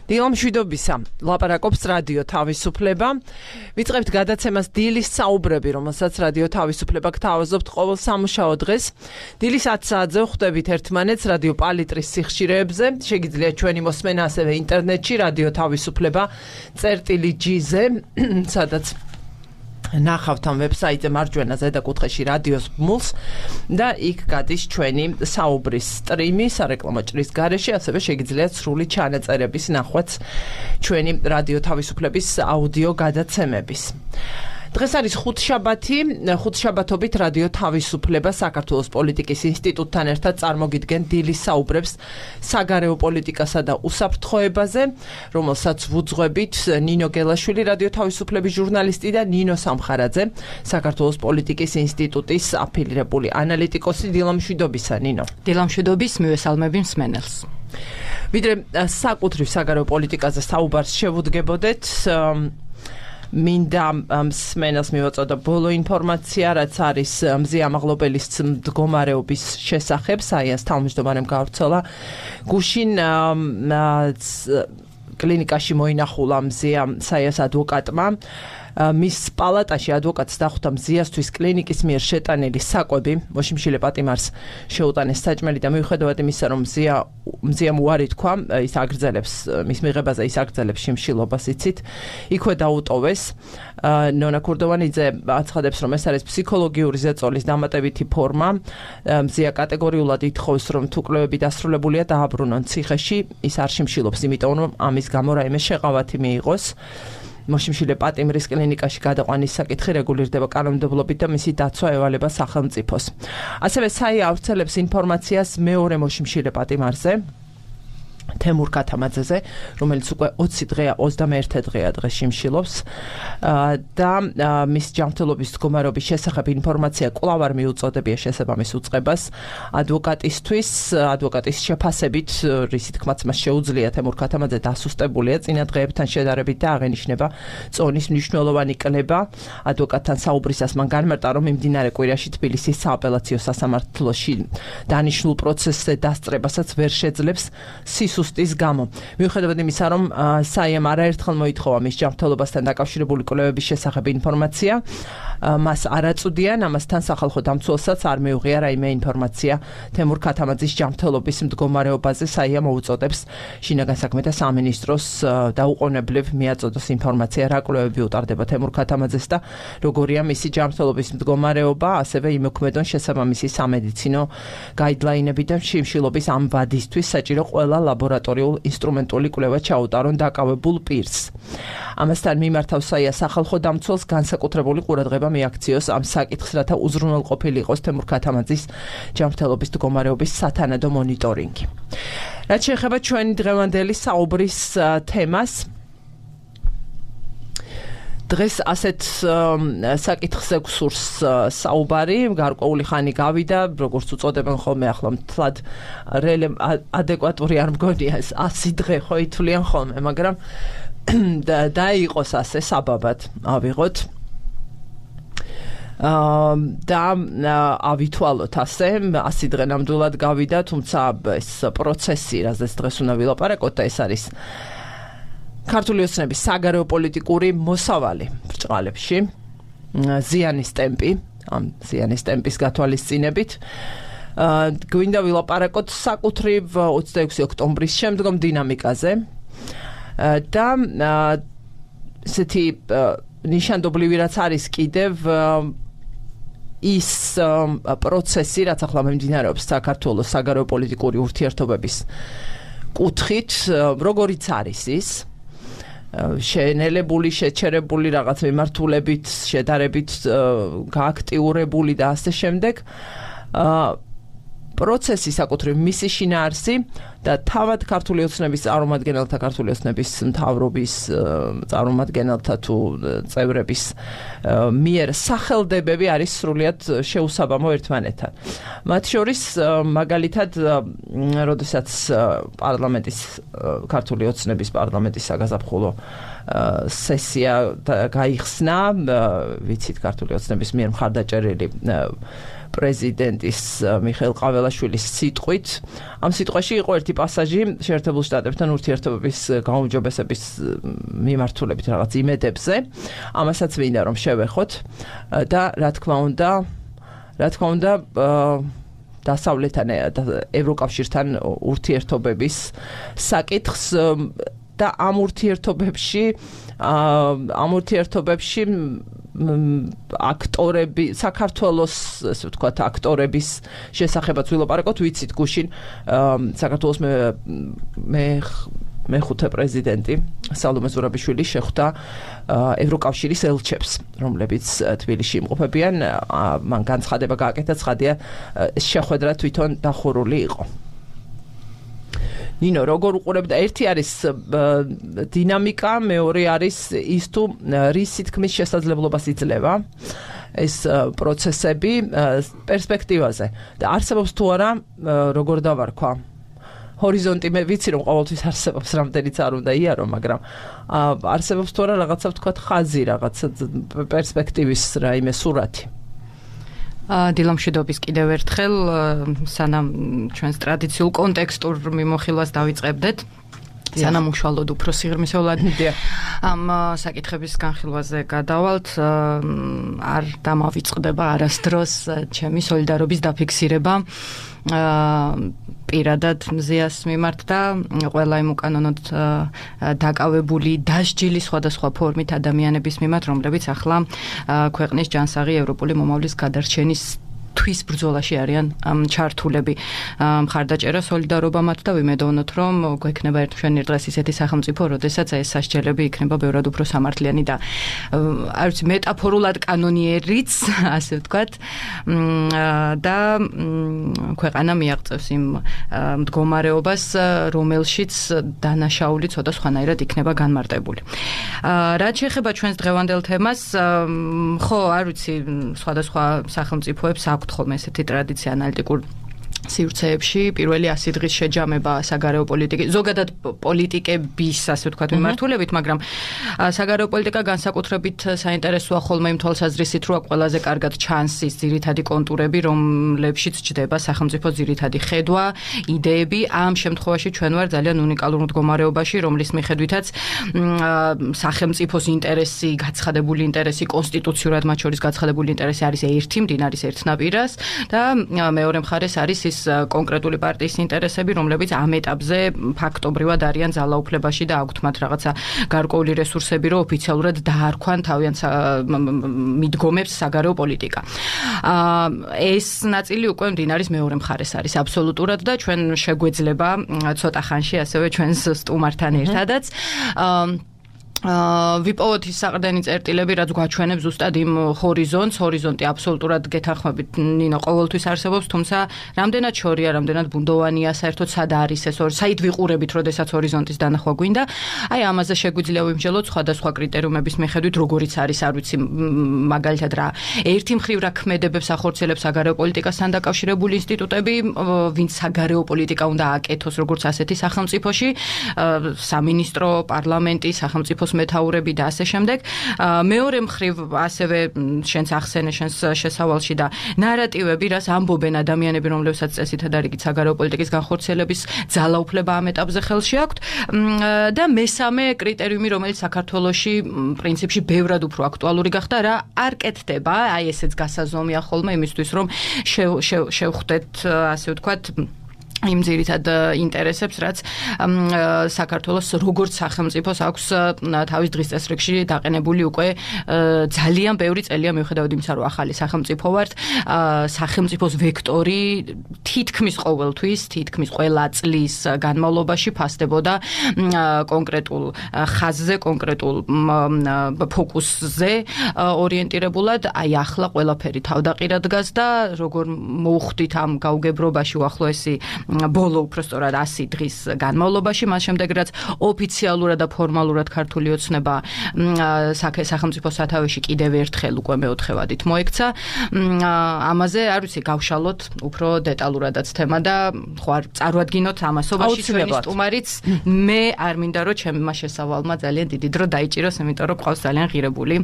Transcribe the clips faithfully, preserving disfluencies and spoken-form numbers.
დილამშვიდობისა, ლაპარაკობს რადიო თავისუფლება. ვიწყებთ გადაცემას დილის საუბრები, რომელსაც რადიო თავისუფლება გთავაზობთ ყოველ სამუშაო დღეს. დილის ათ საათზე ხვდებით ერთმანეთს რადიო პალიტრის სიხშირეებზე. შეგიძლიათ ჩვენი მოსმენა ასევე ინტერნეტში რადიო თავისუფლება წერტილი ჯი-ზე, სადაც ნახავთ ამ ვებსაიტზე მარჯვენა ზედაკუთხეში რადიოს ბმულს და იქ გადის ჩვენი საუბრის სტრიმი სარეკლამო ჭრის გარეშე, ასევე შეგიძლიათ სრული ჩანაწერების ნახვაც ჩვენი რადიო თავისუფლების აუდიო გადაცემების. დღეს არის ხუთშაბათი, ხუთშაბათობით რადიო თავისუფლება საქართველოს პოლიტიკის ინსტიტუტთან ერთად წარმოგიდგენ დილის საუბრებს საგარეო პოლიტიკასა და უსაფრთხოებაზე, რომელსაც ვუძღვებით ნინო გელაშვილი, რადიო თავისუფლების ჟურნალისტი და ნინო სამხარაძე, საქართველოს პოლიტიკის ინსტიტუტის აფილირებული ანალიტიკოსი. დილამშვიდობისა, ნინო. დილამშვიდობის, მივესალმები მსმენელს. ვიდრე საკუთრივ საგარეო პოლიტიკაზე საუბარს შევუდგებოდეთ, მინდა მსმენელს მივაწოდო ბოლო ინფორმაცია, რაც არის მზია მაღლობელის მდგომარეობის შესახებ. საიას თავმჯდომარემ გავრცელა გუშინ კლინიკაში მოინახულა მზია საიას ადვოკატმა. მის პალატაში ადვოკატს დახვდა მზიასთვის კლინიკის მიერ შეტანილი საკვები, მოშიმშილე პატიმარს შეუტანეს საჭმელი და მიუხედავად იმისა, რომ მზია მზიამ უარი თქვა, ის აგრძელებს მის მიღებაზე, ის აგრძელებს შიმშილობას, იცით, იქვე დაუტოვეს. ნონა ქურდოვანიძე აცხადებს, რომ ეს არის ფსიქოლოგიური ზეწოლის დამატებითი ფორმა. მზია კატეგორიულად ითხოვს, რომ თუ კვლევები დასრულებულია, დააბრუნონ ციხეში. ის არ შიმშილობს, იმიტომ რომ ამის გამო რაიმე შეღავათი მიიღოს. მოშიმშილე პატიმრის კლინიკაში გადაყვანის საკითხი რეგულირდება კანონმდებლობით და მისი დაცვა ევალება სახელმწიფოს. ასევე საია ავრცელებს ინფორმაციას მეორე მოშიმშილე პატიმარზე, თემურ ქათამაძეზე, რომელიც უკვე ოცი დღეა, ოცდამეერთე დღეა დღეს შიმშილობს და მის ჯანმრთელობის მდგომარეობის შესახებ ინფორმაცია კვლავ არ მიუწოდებია შესაბამის უწყებას ადვოკატისთვის. ადვოკატის შეფასებით, რისი თქმაც მას შეუძლია თემურ ქათამაძე დასუსტებულია წინა დღეებთან შედარებით და აღენიშნება წონის მნიშვნელოვანი კლება. ადვოკატთან საუბრისას მან განმარტა, რომ მიმდინარე კვირაში თბილისის სააპელაციო სასამართლოში დანიშნულ პროცესზე დასწრებასაც ვერ შეძლებს სისუსტის გამო. მიუხედავად იმისა, რომ საიამ არაერთხელ მოითხოვა მის ჯანმრთელობასთან დაკავშირებული კვლევების შესახებ ინფორმაცია, მას არ აწვდიან, ამასთან სახალხო დამცველსაც არ მიუღია რაიმე ინფორმაცია თემურ ქათამაძის ჯანმრთელობის მდგომარეობაზე. საია მოუწოდებს შინაგან საქმეთა სამინისტროს დაუყოვნებლივ მიაწოდოს ინფორმაცია, რა კვლევები უტარდება თემურ ქათამაძეს და როგორია მისი ჯანმრთელობის მდგომარეობა, ასევე იმოქმედონ შესაბამისი სამედიცინო გაიდლაინები და შიმშილობის ამ ვადისთვის საჭირო ყველა ლაბორატორიულ ინსტრუმენტული კვლევა ჩაუტარონ დაკავებულ პირს. ამასთან მიმართავს საია სახალხო დამცველს განსაკუთრებული ყურადღება მიაქციოს ამ საკითხს, რათა უზრუნველყოფილი იყოს თემურ ქათამაძის ჯანმრთელობის მდგომარეობის სათანადო მონიტორინგი. რაც შეეხება ჩვენი დღევანდელი საუბრის თემას, დღეს ასეთ საკითხზე გსურს საუბარი, გარკვეული ხანი გავიდა, როგორც უწოდებენ ხოლმე ახლა მთლად ადეკვატური არ მგონია ეს ასი დღე ხო ითვლიან ხოლმე, მაგრამ დაიყოს ასე საბაბად ავიღოთ და ავითვალოთ ასე, ასი დღე ნამდვილად გავიდა, თუმცა ეს პროცესი, რაზეც დღეს უნდა ვილაპარაკოთ და ეს არის ქართული ოცნების საგარეო პოლიტიკური მოსავალი ბრჭყალებში, ზიანის ტემპი, ამ ზიანის ტემპის გათვალისწინებით. გვინდა ვილაპარაკოთ საკუთრივ ოცდაექვსი ოქტომბრის შემდგომ დინამიკაზე და ესეთი ნიშანდობლივი რაც არის კიდევ ის პროცესი, რაც ახლა მიმდინარეობს საქართველოს საგარეო პოლიტიკური ურთიერთობების კუთხით, როგორიც არის ის შეენელებული, შეჩერებული რაღაც მიმართულებით, შედარებით გააქტიურებული და ასე შემდეგ. პროცესი საკუთრივ მისი შინაარსი და თავად ქართული ოცნების წარმომადგენელთა, ქართული ოცნების მთავრობის წარმომადგენელთა თუ წევრების მიერ სახელდებები არის სრულიად შეუსაბამო ერთმანეთთან. მათ შორის მაგალითად, როდესაც პარლამენტის ქართული ოცნების პარლამენტის საგაზაფხულო სესია გაიხსნა, ვიცით ქართული ოცნების მიერ მხარდაჭერილი პრეზიდენტის მიხეილ ყაველაშვილის სიტყვით. ამ სიტყვაში იყო ერთი პასაჟი შეერთებულ შტატებთან ურთიერთობების გაუმჯობესების მიმართულებით რაღაც იმედებზე. ამასაც მინდა რომ შევეხოთ და რა თქმა უნდა, რა თქმა უნდა დასავლეთთან ევროკავშირთან ურთიერთობების საკითხს და ამ ურთიერთობებში ამ ურთიერთობებში აქტორები საქართველოს ასე ვთქვათ აქტორების შესახებაც ვილაპარაკოთ ვიცით გუშინ საქართველოს მე მე მეხუთე პრეზიდენტი სალომე ზურაბიშვილი შეხვდა ევროკავშირის ელჩებს, რომლებიც თბილისში იმყოფებიან. მან განცხადება გააკეთა, ცხადია შეხვედრა თვითონ დახურული იყო. ნინო, როგორ უყურებდა? ერთი არის დინამიკა, მეორე არის ის თუ რის თქმის შესაძლებლობას იძლევა ეს პროცესები პერსპექტივაზე და არსებობს თუ არა როგორ დავარქვა ჰორიზონტი მე ვიცი რომ ყოველთვის არსებობს რამდენიც არ უნდა იარო, მაგრამ არსებობს თუ არა რაღაცა ვთქვათ ხაზი, რაღაცა პერსპექტივის რაიმე სურათი. დილამშვიდობის კიდევ ერთხელ, სანამ ჩვენს ტრადიციულ კონტექსტურ მიმოხილვას დავიწყებდეთ, სანამ უშუალოდ უფრო სიღრმისეულად ამ საკითხების განხილვაზე გადავალთ, არ დამავიწყდება არასდროს ჩემი სოლიდარობის დაფიქსირება პირადად მზიას მიმართ და ყველა იმ უკანონოდ დაკავებული დასჯილი სხვადასხვა ფორმით ადამიანების მიმართ, რომლებიც ახლა ქვეყნის ჯანსაღი ევროპული მომავლის გადარჩენის თვის ბრძოლაში არიან ჩართულები. მხარდაჭერა სოლიდარობა მათ და ვიმედოვნოთ, რომ გვექნება ერთმშვენი დღეს ისეთი სახელმწიფო, როდესაც ეს სასჯელები იქნება ბევრად უფრო სამართლიანი და არ ვიცი, მეტაფორულად კანონიერიც, ასე ვთქვათ, და ქვეყანა მიაღწევს იმ მდგომარეობას, რომელშიც დანაშაული ცოტა სხვანაირად იქნება განმარტებული. რაც შეეხება ჩვენს დღევანდელ თემას, ხო, არ ვიცი, სხვადასხვა სახელმწიფოებს აქვთ ხოლმე ესეთი ტრადიცია ანალიტიკურ სივრცეებში, პირველი ასი დღის შეჯამება საგარეო პოლიტიკის, ზოგადად პოლიტიკების, ასე ვთქვათ, მიმართულებით, მაგრამ საგარეო პოლიტიკა განსაკუთრებით საინტერესოა ხოლმე იმ თვალსაზრისით, რომ ყველაზე კარგად ჩანს ის ძირითადი კონტურები, რომლებშიც ჯდება სახელმწიფოს ძირითადი ხედვა, იდეები. ამ შემთხვევაში ჩვენ ვარ ძალიან უნიკალურ მდგომარეობაში, რომლის მიხედვითაც სახელმწიფოს ინტერესი, გაცხადებული ინტერესი, კონსტიტუციურად მათ შორის გაცხადებული ინტერესი არის ერთი, მდინარის ერთნაპირას და მეორე მხარეს არის ის კონკრეტული პარტიის ინტერესები, რომლებიც ამ ეტაპზე ფაქტობრივად არიან ძალაუფლებაში და აქვთ მათ რაღაცა გარკვეული რესურსები, რომ ოფიციალურად დაარქვან თავიანთ მიდგომებს საგარეო პოლიტიკა. ეს ნაწილი უკვე მდინარის მეორე მხარეს არის აბსოლუტურად და ჩვენ შეგვეძლება ცოტა ხანში ასევე ჩვენს სტუმართან ერთადაც ვიპოვოთ ის საყრდენი წერტილები, რაც გვაჩვენებს ზუსტად იმ ჰორიზონტს, ჰორიზონტი აბსოლუტურად გეთანხმებით, ნინო, ყოველთვის არსებობს, თუმცა რამდენად შორია, რამდენად ბუნდოვანია, საერთოდ სად არის ეს ორი, საით ვიყურებით, როდესაც ჰორიზონტის დანახვა გვინდა. აი, ამაზე შეგვიძლია ვიმსჯელოთ სხვადასხვა კრიტერიუმების მიხედვით, როგორიც არის, არ ვიცი, მაგალითად რა, ერთი მხრივ რა ქმედებებს ახორციელებს საგარეო პოლიტიკასთან დაკავშირებული ინსტიტუტები, ვინც საგარეო პოლიტიკა უნდა აკეთოს, როგორც ასეთი სახელმწიფოში, სამინისტრო, პარლამენტი, სახელმწიფო მეთაურები და ასე შემდეგ. მეორე მხრივ ასევე შენს ახსენე შენს შესავალში და ნარატივები, რაც ამბობენ ადამიანები, რომლებსაც წესითა და რიგით საგარეო პოლიტიკის განხორციელების ძალაუფლება ამ ეტაპზე ხელში აქვთ და მესამე კრიტერიუმი, რომელიც საქართველოში პრინციპში ბევრად უფრო აქტუალური გახდა, რა არ კეთდება, აი ესეც გასაზომია ხოლმე იმისთვის, რომ შევხვდეთ, ასე ვთქვათ, იმ ძირითად ინტერესებს, რაც საქართველოს როგორც სახელმწიფოს აქვს თავის დღის წესრიგში დაყენებული უკვე ძალიან ბევრი წელია, მიუხედავად იმისა, რომ ახალი სახელმწიფო ვართ, სახელმწიფოს ვექტორი თითქმის ყოველთვის, თითქმის ყველა წლის განმავლობაში ფასდებოდა კონკრეტულ ხაზზე, კონკრეტულ ფოკუსზე ორიენტირებულად. აი ახლა ყველაფერი თავდაყირად დგას და როგორ მოუხდით ამ გაუგებრობაში უახლოესი ბოლო უпростоრად ასი დღის განმავლობაში, მას შემდეგ რაც ოფიციალურად და ფორმალურად ქართული ოცნება სახელმწიფო სათავეში კიდევ ერთხელ უკვე მეოთხევადით მოექცა. ამაზე არ ვიცი, გავშალოთ უფრო დეტალურადაც თემა და ხო არ წარვადგინოთ ამასობაში ჩვენი სტუმარიც. მე არ მინდა რომ ჩემმა შესავალმა ძალიან დიდი დრო დაიჭიროს, იმიტომ რომ ყავს ძალიან ღირებული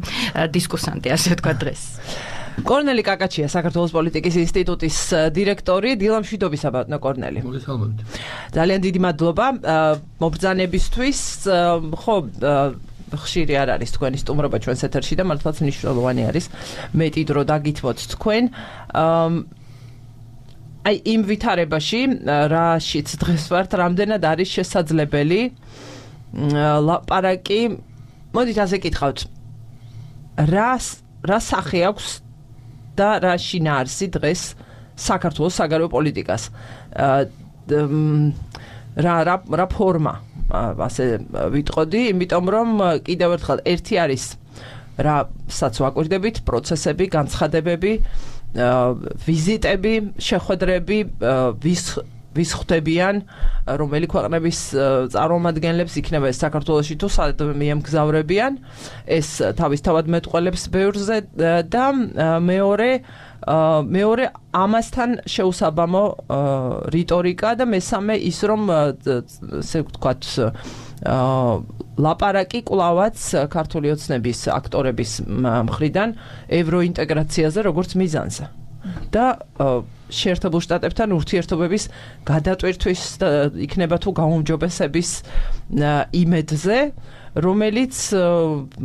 დისკუსანტი, ასე ვთქვათ დღეს. კორნელი კაკაჩია, საქართველოს პოლიტიკის ინსტიტუტის დირექტორი. დილამშვიდობისა ბატონო კორნელი. მოგესალმებით. ძალიან დიდი მადლობა მობრძანებისთვის. ხო, ხშირი არ არის თქვენი სტუმრობა ჩვენს ეთერში და მართლაც მნიშვნელოვანი არის მეტი დრო დაგითმოთ თქვენ. აი იმ ვითარებაში, რაშიც დღეს ვართ, რამდენად არის შესაძლებელი ლაპარაკი, მოდით ასე კითხავთ. რა რა სახე აქვს და რა შინაარსი დღეს საქართველოს საგარეო პოლიტიკას. რა რა რა ფორმა ასე ვიტყოდი, იმიტომ რომ კიდევ ერთხელ ერთი არის რასაც ვაკვირდებით, პროცესები, განცხადებები, ვიზიტები, შეხვედრები, ვის ვის ხვდებიან, რომელი ქვეყნების წარმომადგენლებს იქნება ეს საქართველოში თუ სად მიემგზავრებიან, ეს თავისთავად მეტყველებს ბევრზე და მეორე მეორე ამასთან შეუსაბამო რიტორიკა და მესამე ის რომ ესე ვთქვათ ლაპარაკი კვლავაც ქართული ოცნების აქტორების მხრიდან ევროინტეგრაციაზე როგორც მიზანზე და შეერთებულ შტატებთან ურთიერთობების გადატვირთვის იქნება თუ გაუმჯობესების იმედზე, რომელიც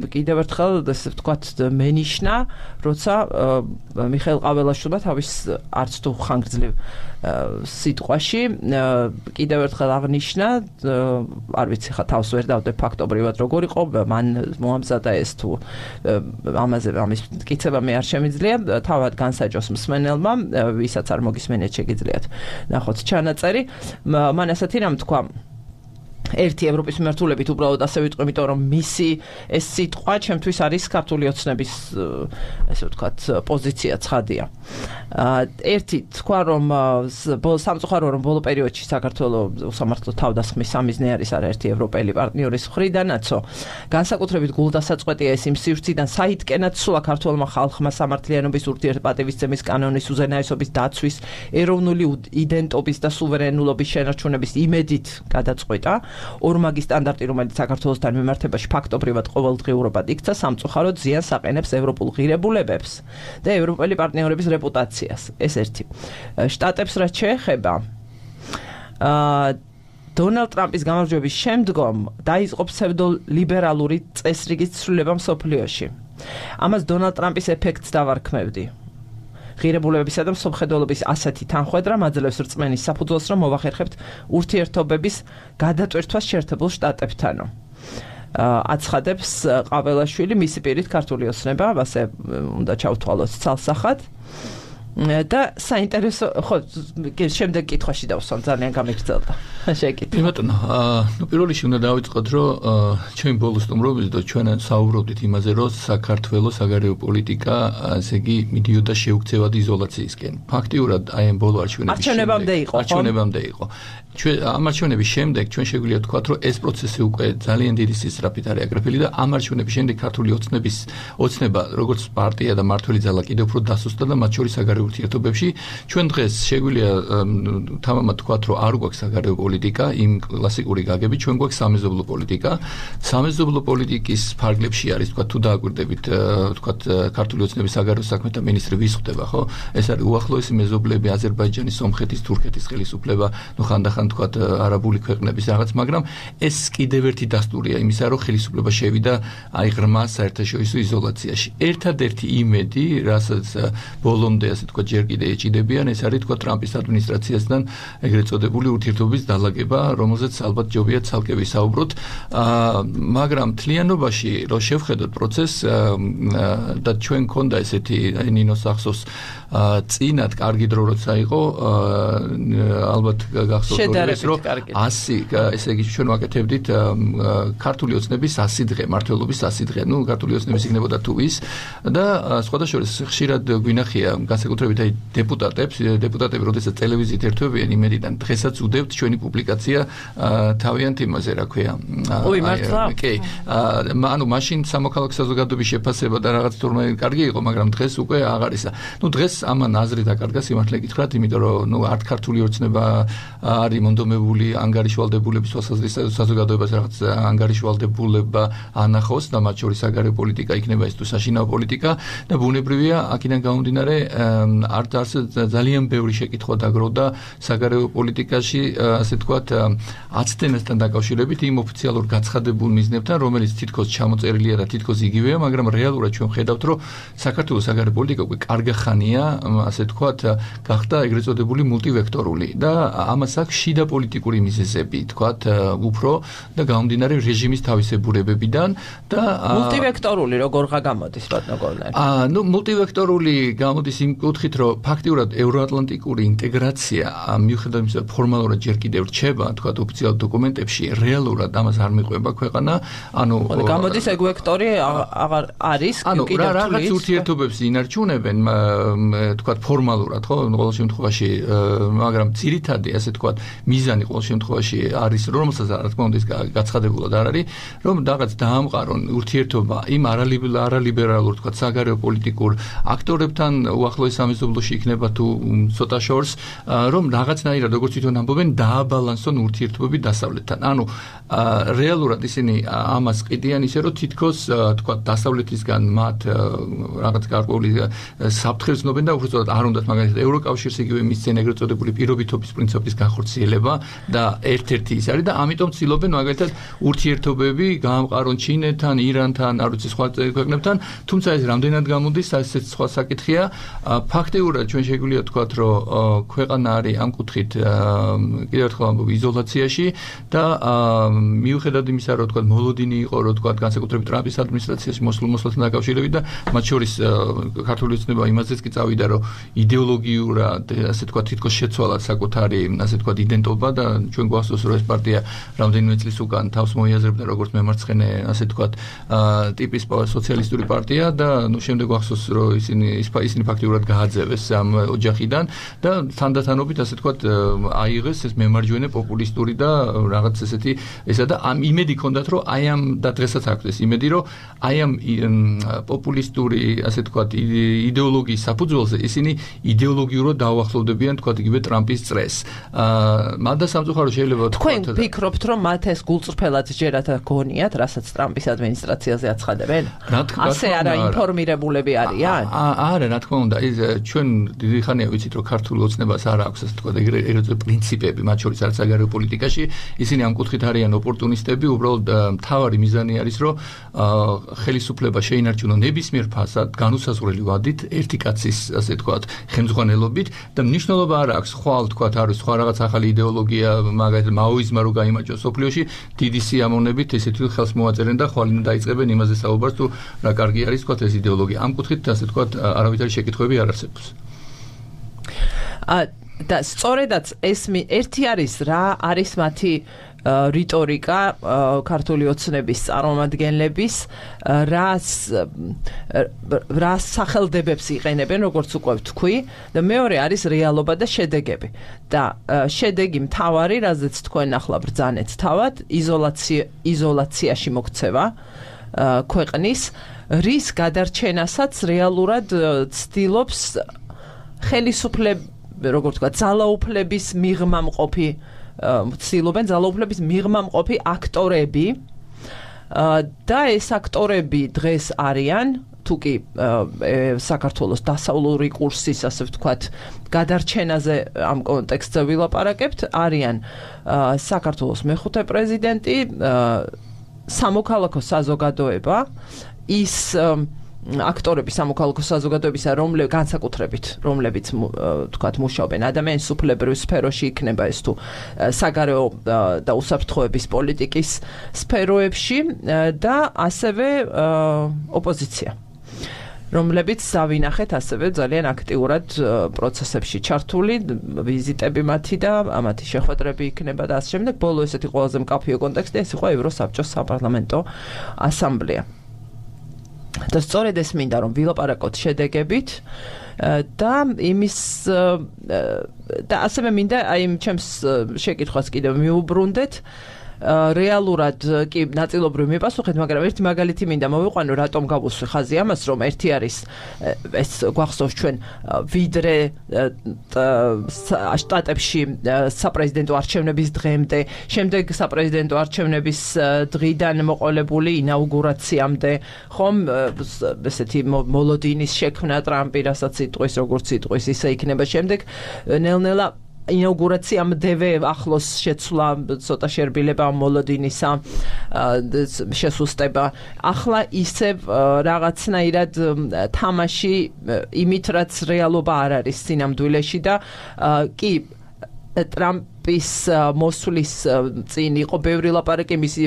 კიდევ ერთხელ ესე ვთქვათ მენიშნა, როცა მიხეილ ყაველაშვილმა თავის არც თუ ხანგრძლივ სიტყვაში კიდევ ერთხელ აღნიშნა, არ ვიცი ხა თავს ვერ დავდე ფაქტობრივად როგორ იყო, მან მოამზადა ეს თუ ამაზე ამის მტკიცება მე არ შემიძლია, თავად განსაჯოს მსმენელმა, ვისაც არ მოგისმენიათ შეგიძლიათ ნახოთ ჩანაწერი. მან ასეთი რამ თქვა ერთი ევროპის მიმართულებით უბრალოდ ასე ვიტყვი, იმიტომ რომ მისი ეს სიტყვა ჩემთვის არის ქართული ოცნების ესე ვთქვათ პოზიცია ცხადია. ერთი თქვა რომ სამწუხარო რომ ბოლო პერიოდში საქართველოს უსამართლო თავდასხმის სამიზნე არის არაერთი ევროპელი პარტნიორის მხრიდანაცო განსაკუთრებით გულდასაწყვეტია ეს იმ სივრციდან საითკენაც სულა ქართულმა ხალხმა სამართლიანობის ურთიერთპატივისცემის კანონის უზენაესობის დაცვის ეროვნული იდენტობის და სუვერენულობის შენარჩუნების იმედით გადაწყვეტა ორმაგი სტანდარტი, რომელიც საქართველოსთან მიმართებაში ფაქტობრივად ყოველდღიურობად იქცა, სამწუხაროდ ზიანს აყენებს ევროპულ ღირებულებებს და ევროპელი პარტნიორების რეპუტაციას. ეს ერთი. შტატებს რაც შეეხება, დონალდ ტრამპის გამარჯვების შემდგომ დაიწყო ფსევდოლიბერალური წესრიგის ცვლილება მსოფლიოში. ამას დონალდ ტრამპის ეფექტს დავარქმევდი. ღირებულებებისა და მსოფლმხედველობის ასეთი თანხვედრა მაძლევს რწმენის საფუძველს, რომ მოვახერხებთ ურთიერთობების გადატვირთვას შეერთებულ შტატებთანო. აცხადებს ყაველაშვილი, მისი პირით ქართული ოცნება, ასე უნდა ჩავთვალოთ ცალსახად. და საინტერესო, ხო, შემდეგ კითხვაში დავსვამ, ძალიან გამიგრძელდა. შეკითხე. ბატონო, ნუ პირველ რიგში უნდა დავიწყოთ, რომ ჩემი ბოლო სტუმრობით და ჩვენ საუბრობდით იმაზე, რომ საქართველოს საგარეო პოლიტიკა, ასე იგი, მიდიოდა შეუქცევად იზოლაციისკენ. ფაქტიურად აი ამ ბოლო არჩევნების არჩევნებამდე იყო, ხო? არჩევნებამდე იყო. ჩვენ ამ არჩევნების შემდეგ ჩვენ შეგვიძლია ვთქვათ, რომ ეს პროცესი უკვე ძალიან დიდი სისწრაფით არის აკრეფილი და ამ არჩევნების შემდეგ ქართული ოცნების ოცნება, როგორც პარტია და მართველი ძალა კიდევ უფრო დასუსტდა და მათ შორის საგარეო ურთიერთობებში ჩვენ დღეს შეგვიძლია თამამად ვთქვათ, რომ არ გვაქვს საგარეო პოლიტიკა, იმ კლასიკური გაგებით, ჩვენ გვაქვს სამეზობლო პოლიტიკა. სამეზობლო პოლიტიკის ფარგლებში არის, ვთქვათ, თუ დააკვირდებით, ვთქვათ, ქართული ოცნების საგარეო საქმეთა მინისტრი ვის ხდება, ხო? ეს არის უახლოესი მეზობლები, აზერბაიჯანის, სომხეთის, თურქეთის ხელისუფლება, ნუ ხანდახან თქვათ არაბული ქვეყნების რაღაც, მაგრამ ეს კიდევ ერთი დასტურია იმისა, რომ ხელისუფლება შევიდა აი ღრმა საერთაშორისო იზოლაციაში. ერთადერთი იმედი, რასაც ბოლომდე ასე თქვათ ჯერ კიდე ეჭიდებიან, ეს არის თქვათ ტრამპის ადმინისტრაციასთან ეგრეთ წოდებული ურთიერთობის დალაგება, რომელზეც ალბათ ჯობია ცალკე ვისაუბროთ. მაგრამ თლიანობაში რომ შევხედოთ პროცესს და ჩვენ გქონდა ესეთი აი ნინოს ახსოვს წინათ კარგი დრო როცა იყო, ალბათ გახსოვთ რომ ასი, ესე იგი ჩვენ ვაკეთებდით ქართული ოცნების ასი დღე, მართლობის ასი დღე, ნუ ქართული ოცნების იქნებოდა თუ ის და სხვადასხვა ხშირად გვინახია განსაკუთრებით განსაკუთრებით აი დეპუტატებს, დეპუტატები როდესაც ტელევიზიით ერთვებიან იმედიდან დღესაც უდევთ ჩვენი პუბლიკაცია თავიანთ იმაზე, რა ქვია. ой, მართლა? კი. ანუ მაშინ სამოქალაქო საზოგადოების შეფასება და რაღაც თურმე კარგი იყო, მაგრამ დღეს უკვე აღარ ისა. ნუ დღეს ამან აზრი დაკარგა სიმართლე გითხრათ, იმიტომ რომ ნუ არც ქართული ოცნება არის მონდომებული ანგარიშვალდებულების თვალსაზრისით საზოგადოებას რაღაც ანგარიშვალდებულება ანახოს და მათ შორის საგარეო პოლიტიკა იქნება ეს თუ საშინაო პოლიტიკა და ბუნებრივია აქედან გამომდინარე არც არც ძალიან ბევრი შეკითხვა დაგროვდა საგარეო პოლიტიკაში ასე თქვათ აცდენასთან დაკავშირებით იმ ოფიციალურ გაცხადებულ მიზნებთან რომელიც თითქოს ჩამოწერილია და თითქოს იგივეა მაგრამ რეალურად ჩვენ ხედავთ რომ საქართველოს საგარეო პოლიტიკა უკვე კარგი ხანია ასე თქვათ გახდა ეგრეთ წოდებული მულტივექტორული და ამას აქვს შიდა პოლიტიკური მიზეზები თქვათ უფრო და გამომდინარე რეჟიმის თავისებურებებიდან და მულტივექტორული როგორღა გამოდის ბატონო გორნერი? აა ნუ მულტივექტორული გამოდის იმ კუთხით რომ ფაქტიურად ევროატლანტიკური ინტეგრაცია მიუხედავად იმისა ფორმალურად ჯერ კიდევ რჩება თქვათ ოფიციალურ დოკუმენტებში რეალურად ამას არ მიყვება ქვეყანა ანუ გამოდის ეგ ვექტორი აღარ არის კიდევ თუ რაღაც ურთიერთობებს ინარჩუნებენ თქვათ ფორმალურად ხო ყოველ შემთხვევაში მაგრამ ძირითადი ასე თქვათ მიზანი ყოველ შემთხვევაში არის რომელსაც რა თქმა უნდა ის გაცხადებულად არ არის რომ რაღაც დაამყარონ ურთიერთობა იმ არალიბერალურ თქვათ საგარეო პოლიტიკურ აქტორებთან უახლოეს სამეზობლოში იქნება თუ ცოტა შორს რომ რაღაცნაირად როგორც თვითონ ამბობენ დააბალანსონ ურთიერთობები დასავლეთთან ანუ რეალურად ისინი ამას ყიდიან ისე რომ თითქოს თქვათ დასავლეთისგან მათ რაღაც გარკვეული საფრთხეს ცნობენ და უბრალოდ არ უნდათ მაგალითად ევროკავშირს იგივე მისცენ ეგრეთ წოდებული პირობითობის პრინციპის განხორციელება და ერთ-ერთი ის არის და ამიტომ ცდილობენ მაგალითად ურთიერთობები გაამყარონ ჩინეთთან, ირანთან, არ ვიცი სხვა ქვეყნებთან, თუმცა ეს რამდენად გამოდის, ასეც სხვა საკითხია. ფაქტიურად ჩვენ შეგვიძლია ვთქვათ, რომ ქვეყანა არის ამ კუთხით კიდევ ერთხელ ამბობ იზოლაციაში და მიუხედავად იმისა, რომ ვთქვათ მოლოდინი იყო, რომ ვთქვათ განსაკუთრებით ტრამპის ადმინისტრაციაში მოსვლასთან დაკავშირებით და მათ შორის ქართული ოცნება იმაზეც კი წავიდა, რომ იდეოლოგიურად ასე ვთქვათ თითქოს შეცვალა საკუთარი ასე ვთქვათ იდენტობა და ჩვენ გვახსოვს რომ ეს პარტია რამდენიმე წლის უკან თავს მოიაზრებდა როგორც მემარცხენე ასე ვთქვათ ტიპის სოციალისტური პარტია და ნუ შემდეგ გვახსოვს რომ ისინი ისინი ფაქტიურად გააძევეს ამ ოჯახიდან და თანდათანობით ასე ვთქვათ აიღეს ეს მემარჯვენე პოპულისტური და რაღაც ესეთი ესა და ამ იმედი ჰქონდათ რომ აი ამ და დღესაც აქვს ეს იმედი რომ აი ამ პოპულისტური ასე ვთქვათ იდეოლოგიის საფუძველზე ისინი იდეოლოგიურად დაუახლოვდებიან თქვათ იგივე ტრამპის წრეს. აა მანდა სამწუხარო შეიძლება თქვენ ფიქრობთ რომ მათ ეს გულწრფელად ჯერათ გონიათ რასაც ტრამპის ადმინისტრაციაზე აცხადებენ? ასე არა ინფორმირებულები არიან? არა რა თქმა უნდა ის ჩვენ დიდი ხანია ვიცით რომ ქართულ ოცნებას არ აქვს ასე თქვათ ეგრეთ პრინციპები მათ შორის არც საგარეო პოლიტიკაში ისინი ამ კუთხით არიან ოპორტუნისტები უბრალოდ მთავარი მიზანი არის რომ ხელისუფლება შეინარჩუნონ ნებისმიერ ფასად განუსაზღვრელი ვადით ერთი კაცის ასე თქვათ ხელმძღვანელობით და მნიშვნელობა არ აქვს ხვალ თქვათ არის სხვა რაღაც ახალი იდეოლოგია მაგალითად მაოიზმა რო გაიმარჯვოს სოფლიოში დიდი სიამოვნებით ესეთი ხელს მოაწერენ და ხვალინო დაიწყებენ იმაზე საუბარს თუ რა კარგი არის თქვათ ეს იდეოლოგია ამ კუთხით ასე თქვათ არავითარი შეკითხვები არ არსებობს და სწორედაც ეს ერთი არის რა არის მათი რიტორიკა ქართული ოცნების წარმომადგენლების რას რას სახელდებებს იყენებენ როგორც უკვე ვთქვი და მეორე არის რეალობა და შედეგები და შედეგი მთავარი რაზეც თქვენ ახლა ბრძანეთ თავად იზოლაცია იზოლაციაში მოქცევა ქვეყნის რის გადარჩენასაც რეალურად ცდილობს ხელისუფლება როგორც ვთქვა ძალაუფლების მიღმა მყოფი ცდილობენ ძალაუფლების მიღმა მყოფი აქტორები და ეს აქტორები დღეს არიან თუკი საქართველოს დასავლური კურსის ასე ვთქვათ გადარჩენაზე ამ კონტექსტზე ვილაპარაკებთ არიან საქართველოს მეხუთე პრეზიდენტი სამოქალაქო საზოგადოება ის აქტორები სამოქალაქო საზოგადოებისა რომლებიც განსაკუთრებით რომლებიც თქვათ მუშაობენ ადამიანის უფლებრივ სფეროში იქნება ეს თუ საგარეო და უსაფრთხოების პოლიტიკის სფეროებში და ასევე ოპოზიცია რომლებიც დავინახეთ ასევე ძალიან აქტიურად პროცესებში ჩართული ვიზიტები მათი და ამათი შეხვედრები იქნება და ასე შემდეგ ბოლო ესეთი ყველაზე მკაფიო კონტექსტი ეს იყო ევროსაბჭოს საპარლამენტო ასამბლეა და სწორედ ეს მინდა რომ ვილაპარაკოთ შედეგებით და იმის და ასევე მინდა აი იმ ჩემს შეკითხვას კიდევ მიუბრუნდეთ რეალურად კი ნაწილობრივ მიპასუხეთ, მაგრამ ერთი მაგალითი მინდა მოვიყვანო, რატომ გავუსვი ხაზი ამას, რომ ერთი არის ეს გვახსოვს ჩვენ ვიდრე შტატებში საპრეზიდენტო არჩევნების დღემდე, შემდეგ საპრეზიდენტო არჩევნების დღიდან მოყოლებული ინაუგურაციამდე, ხომ ესეთი მოლოდინის შექმნა ტრამპი, რასაც იტყვის, როგორც იტყვის, ისე იქნება შემდეგ ნელ-ნელა ინაუგურაციამდევე ახლოს შეცვლა ცოტა შერბილება მოლოდინისა შესუსტება ახლა ისევ რაღაცნაირად თამაში იმით რაც რეალობა არ არის სინამდვილეში და კი ტრამპის მოსვლის წინ იყო ბევრი ლაპარაკი მისი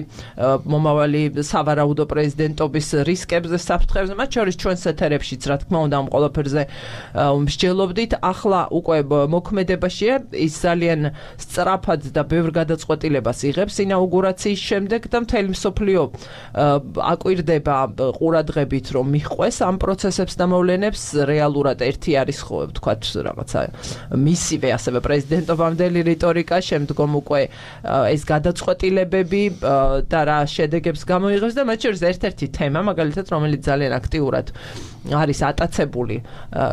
მომავალი სავარაუდო პრეზიდენტობის რისკებზე, საფრთხეებზე, მათ შორის ჩვენს ეთერებშიც, რა თქმა უნდა, ამ ყველაფერზე მსჯელობდით. ახლა უკვე მოქმედებაშია, ის ძალიან სწრაფად და ბევრ გადაწყვეტილებას იღებს ინაუგურაციის შემდეგ და მთელი მსოფლიო აკვირდება ყურადღებით, რომ მიჰყვეს ამ პროცესებს და მოვლენებს. რეალურად ერთი არის ხო, ვთქვათ, რაღაცა მისივე ასევე პრეზიდენტობამდელი რიტორიკა, შემდგომ უკვე ეს გადაწყვეტილებები და რა შედეგებს გამოიღებს და მათ შორის ერთ-ერთი თემა, მაგალითად, რომელიც ძალიან აქტიურად არის ატაცებული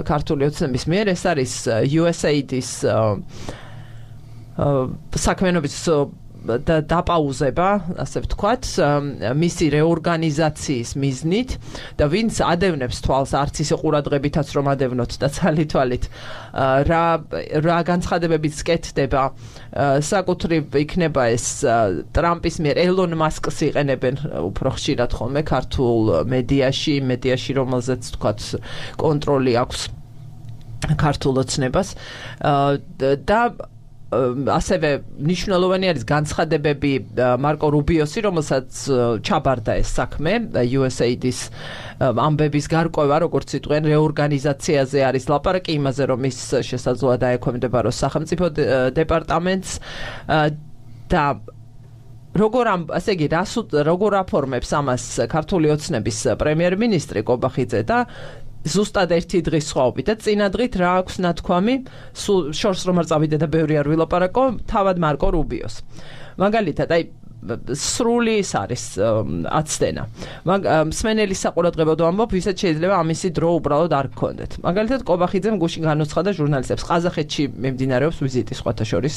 ქართული ოცნების მიერ, ეს არის იუ ეს έი დი-ის საქმიანობის და დაპაუზება, ასე ვთქვათ, მისი რეორგანიზაციის მიზნით და ვინც ადევნებს თვალს არც ისე ყურადღებითაც რომ ადევნოთ და ცალითვალით რა რა განცხადებებით სკეთდება საკუთრივ იქნება ეს ტრამპის მიერ ელონ მასკს იყენებენ უფრო ხშირად ხოლმე ქართულ მედიაში, მედიაში რომელზეც ვთქვათ კონტროლი აქვს ქართულ ოცნებას და ასევე მნიშვნელოვანი არის განცხადებები მარკო რუბიოსი, რომელსაც ჩაბარდა ეს საქმე იუ ეს έი დი-ის ამბების გარკვევა, როგორც იტყვიან, რეორგანიზაციაზე არის ლაპარაკი, იმაზე რომ ის შესაძლოა დაექვემდებაროს სახელმწიფო დეპარტამენტს და როგორ ამ ასე იგი რას როგორ აფორმებს ამას ქართული ოცნების პრემიერ-მინისტრი კობახიძე და ზუსტად ერთი დღის სხვაობით და წინა დღით რა აქვს ნათქვამი, სულ შორს რომ არ წავიდე და ბევრი არ ვილაპარაკო, თავად მარკო რუბიოს. მაგალითად, აი სრული ის არის აცდენა. მსმენელის საყურადღებოდ ვამბობ, ვისაც შეიძლება ამისი დრო უბრალოდ არ გქონდეთ. მაგალითად, კობახიძემ გუშინ განუცხადა ჟურნალისტებს, ყაზახეთში მიმდინარეობს ვიზიტი სხვათა შორის,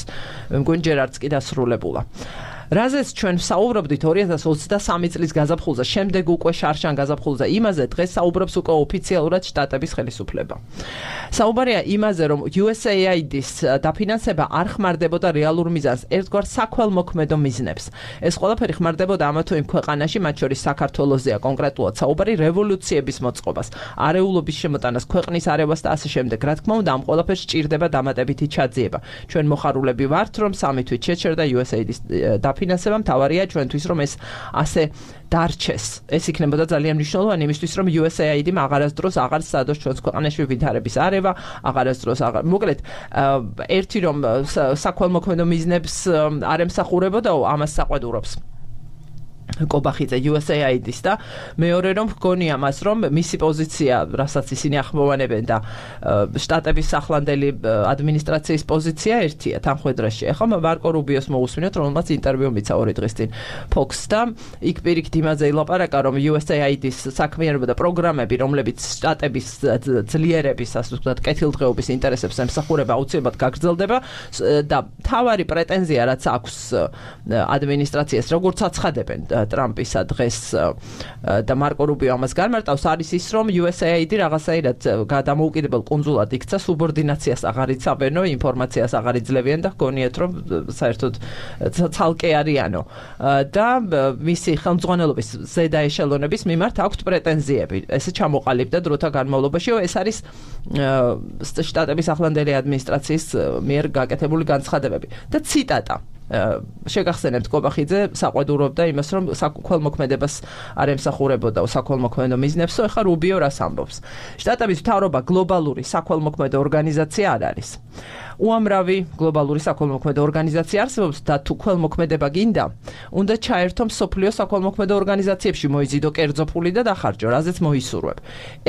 მგონი ჯერ არც კი დასრულებულა. რაზეც ჩვენ საუბრობდით ორი ათას ოცდასამი წლის გაზაფხულზე, შემდეგ უკვე შარშან გაზაფხულზე, იმაზე დღეს საუბრობს უკვე ოფიციალურად შტატების ხელისუფლება. საუბარია იმაზე, რომ იუ ეს έი დი-ის დაფინანსება არ ხმარდებოდა რეალურ მიზანს, ერთგვარ საქველმოქმედო მიზნებს. ეს ყველაფერი ხმარდებოდა ამა თუ იმ ქვეყანაში, მათ შორის საქართველოსზეა კონკრეტულად საუბარი, რევოლუციების მოწყობას, არეულობის შემოტანას, ქვეყნის არევას და ასე შემდეგ. რა თქმა უნდა, ამ ყველაფერს სჭირდება დამატებითი ჩაძიება. ჩვენ მოხარულები ვართ, რომ სამი თვით შეჩერდა იუ ეს έი დი-ის დაფინანსება, მთავარია ჩვენთვის, რომ ეს ასე დარჩეს. ეს იქნებოდა ძალიან მნიშვნელოვანი იმისთვის, რომ იუ ეს έი დი-მ აღარასდროს აღარ სადოს ჩვენს ქვეყანაში ვითარების არევა, აღარასდროს აღარ. მოკლედ, ერთი რომ საქველმოქმედო მიზნებს არ ემსახურებოდაო, ამას საყვედურობს კობახიძე იუ ეს έი დი-ს და მეორე რომ გონია მას რომ მისი პოზიცია, რასაც ისინი ახმოვანებენ და შტატების ახლანდელი ადმინისტრაციის პოზიცია ერთია თანხმედრაში. ახლა მარკო რუბიოს მოусმინოთ, რომელმაც ინტერვიუ მიცა ორი დღის წინ Fox და იქ პირიქით იმაზე ილაპარაკა, რომ იუ ეს έი დი-ის საქმიანობა და პროგრამები, რომლებიც შტატების ძლიერების, ასე ვთქვათ, კეთილდღეობის ინტერესებს ემსახურება, აუცილებლად გაგრძელდება და თავარი პრეტენზია, რაც აქვს ადმინისტრაციას, როგორც აცხადებენ ტრამპისა დღეს და მარკო რუბიო ამას განმარტავს, არის ის, რომ იუ ეს έი დი რაღაცაირად გადამოუკიდებელ კუნძულად იქცა, სუბორდინაციას აღარ იცავენო, ინფორმაციას აღარ იძლევიან და გონიათ, რომ საერთოდ ცალკე არიანო. და მისი ხელმძღვანელობის ზედა ეშელონების მიმართ აქვთ პრეტენზიები. ესე ჩამოყალიბდა დროთა განმავლობაში, ეს არის შტატების ახლანდელი ადმინისტრაციის მიერ გაკეთებული განცხადებები. და ციტატა შეგახსენებთ კობახიძე საყვედურობდა იმას, რომ საქველმოქმედებას არ ემსახურებოდა საქველმოქმედო მიზნებსო, ეხლა რუბიო რას ამბობს. შტატების მთავრობა გლობალური საქველმოქმედო ორგანიზაცია არ არის. უამრავი გლობალური საქველმოქმედო ორგანიზაცია არსებობს და თუ ქველმოქმედება გინდა, უნდა ჩაერთო მსოფლიო საქველმოქმედო ორგანიზაციებში, მოიზიდო კერძო ფული და დახარჯო, რაზეც მოისურვებ.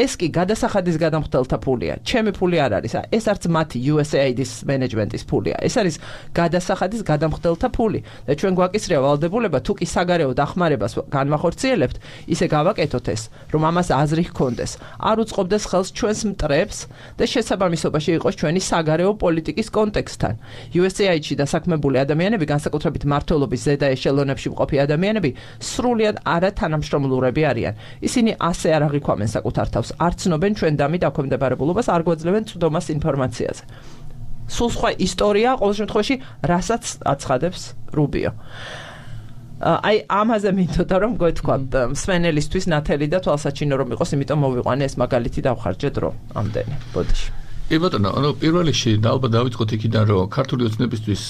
ეს კი გადასახადის გადამხდელთა ფულია. ჩემი ფული არ არის. ეს არც მათი U S A I D-ის მენეჯმენტის ფულია. ეს არის გადასახადის გადამხდელთა ფული. და ჩვენ გვაკისრია ვალდებულება, თუ კი საგარეო დახმარებას განვახორციელებთ, ისე გავაკეთოთ ეს, რომ ამას აზრი ჰქონდეს. არ უწყობდეს ხელს ჩვენს მტრებს და შესაბამისობაში იყოს ჩვენი საგარეო პოლიტიკის კონტექსტთან. U S A I D-ში დასაქმებული ადამიანები, განსაკუთრებით მმართველობის ზედა ეშელონებში მყოფი ადამიანები, სრულიად არათანამშრომლურები არიან. ისინი ასე არ აღიქვამენ საკუთარ თავს, არ ცნობენ ჩვენ დამი დაქვემდებარებულობას, არ გვეძლებენ წვდომას ინფორმაციაზე. სულ სხვა ისტორია, ყოველ შემთხვევაში, რასაც აცხადებს რუბიო. აი ამაზე მინდოდა რომ გეთქვათ მსმენელისთვის ნათელი და თვალსაჩინო რომ იყოს, იმიტომ მოვიყვანე ეს მაგალითი დავხარჯე დრო ამდენი. ბოდიში. კი ბატონო, ანუ პირველ რიგში ალბათ დავიწყოთ იქიდან, რომ ქართული ოცნებისთვის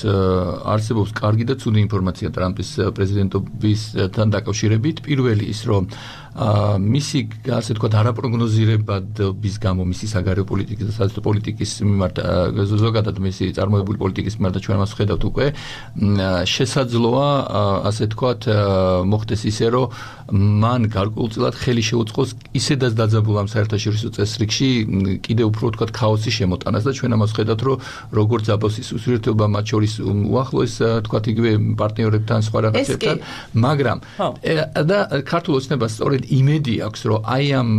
არსებობს კარგი და ცუდი ინფორმაცია ტრამპის პრეზიდენტობისთან დაკავშირებით. პირველი ის, რომ მისი ასე თქვათ არაპროგნოზირებადობის გამო მისი საგარეო პოლიტიკის და საზღვაო პოლიტიკის მიმართ ზოგადად მისი წარმოებული პოლიტიკის მიმართ ჩვენ მას ვხედავთ უკვე შესაძლოა ასე თქვათ მოხდეს ისე რომ მან გარკვეულწილად ხელი შეუწყოს ისედაც დაძაბულ ამ საერთაშორისო წესრიგში კიდევ უფრო თქვათ ქაოსი შემოტანას და ჩვენ ამას ვხედავთ რომ როგორც აბოსის ურთიერთობა მათ შორის უახლოეს თქვათ იგივე პარტნიორებთან სხვა რაღაცებთან მაგრამ და ქართულ ოცნებას სწორედ იმედი აქვს რომ აი ამ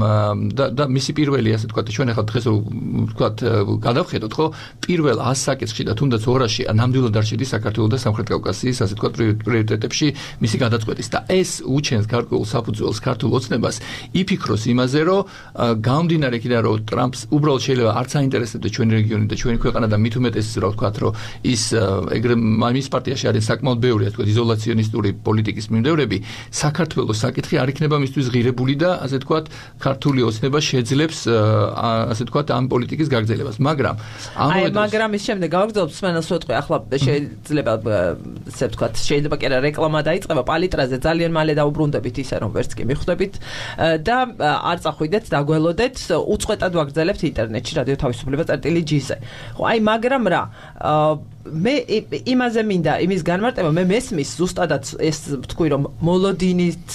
და, და მისი პირველი ასე თქვათ ჩვენ ახლა დღეს თქვათ გადავხედოთ ხო პირველ ას საკითხში და თუნდაც ორაში ნამდვილად არ შედის საქართველოს და სამხრეთ კავკასიის ასე თქვათ პრიორიტეტებში მისი გადაწყვეტის და ეს უჩენს გარკვეულ საფუძველს ქართულ ოცნებას იფიქროს იმაზე რომ გამომდინარე იქიდან რომ ტრამპს უბრალოდ შეიძლება არც აინტერესებდა ჩვენი რეგიონი და ჩვენი ქვეყანა და მით უმეტეს რა ვთქვათ რომ ის ეგრე მის პარტიაში არის საკმაოდ ბევრი ასე თქვათ იზოლაციონისტური პოლიტიკის მიმდევრები საქართველოს საკითხი არ იქნება მისთვის ღირებული და ასე თქვათ ქართული ოცნება შეძლებს ასე თქვათ ამ პოლიტიკის გაგრძელებას მაგრამ აი მაგრამ ის შემდეგ გავაგრძელებ სმენელს ვეთქვი ახლა შეიძლება ასე ვთქვათ შეიძლება კი არა რეკლამა დაიწყება პალიტრაზე ძალიან მალე დაუბრუნდებით ისე რომ ვერც კი მიხვდებით და არ წახვიდეთ დაგველოდეთ უწყვეტად ვაგრძელებთ ინტერნეტში რადიო თავისუფლება წერტილი ჯი-ზე ხო აი მაგრამ რა მე იმაზე მინდა იმის განმარტება მე მესმის ზუსტადაც ეს ვთქვი რომ მოლოდინით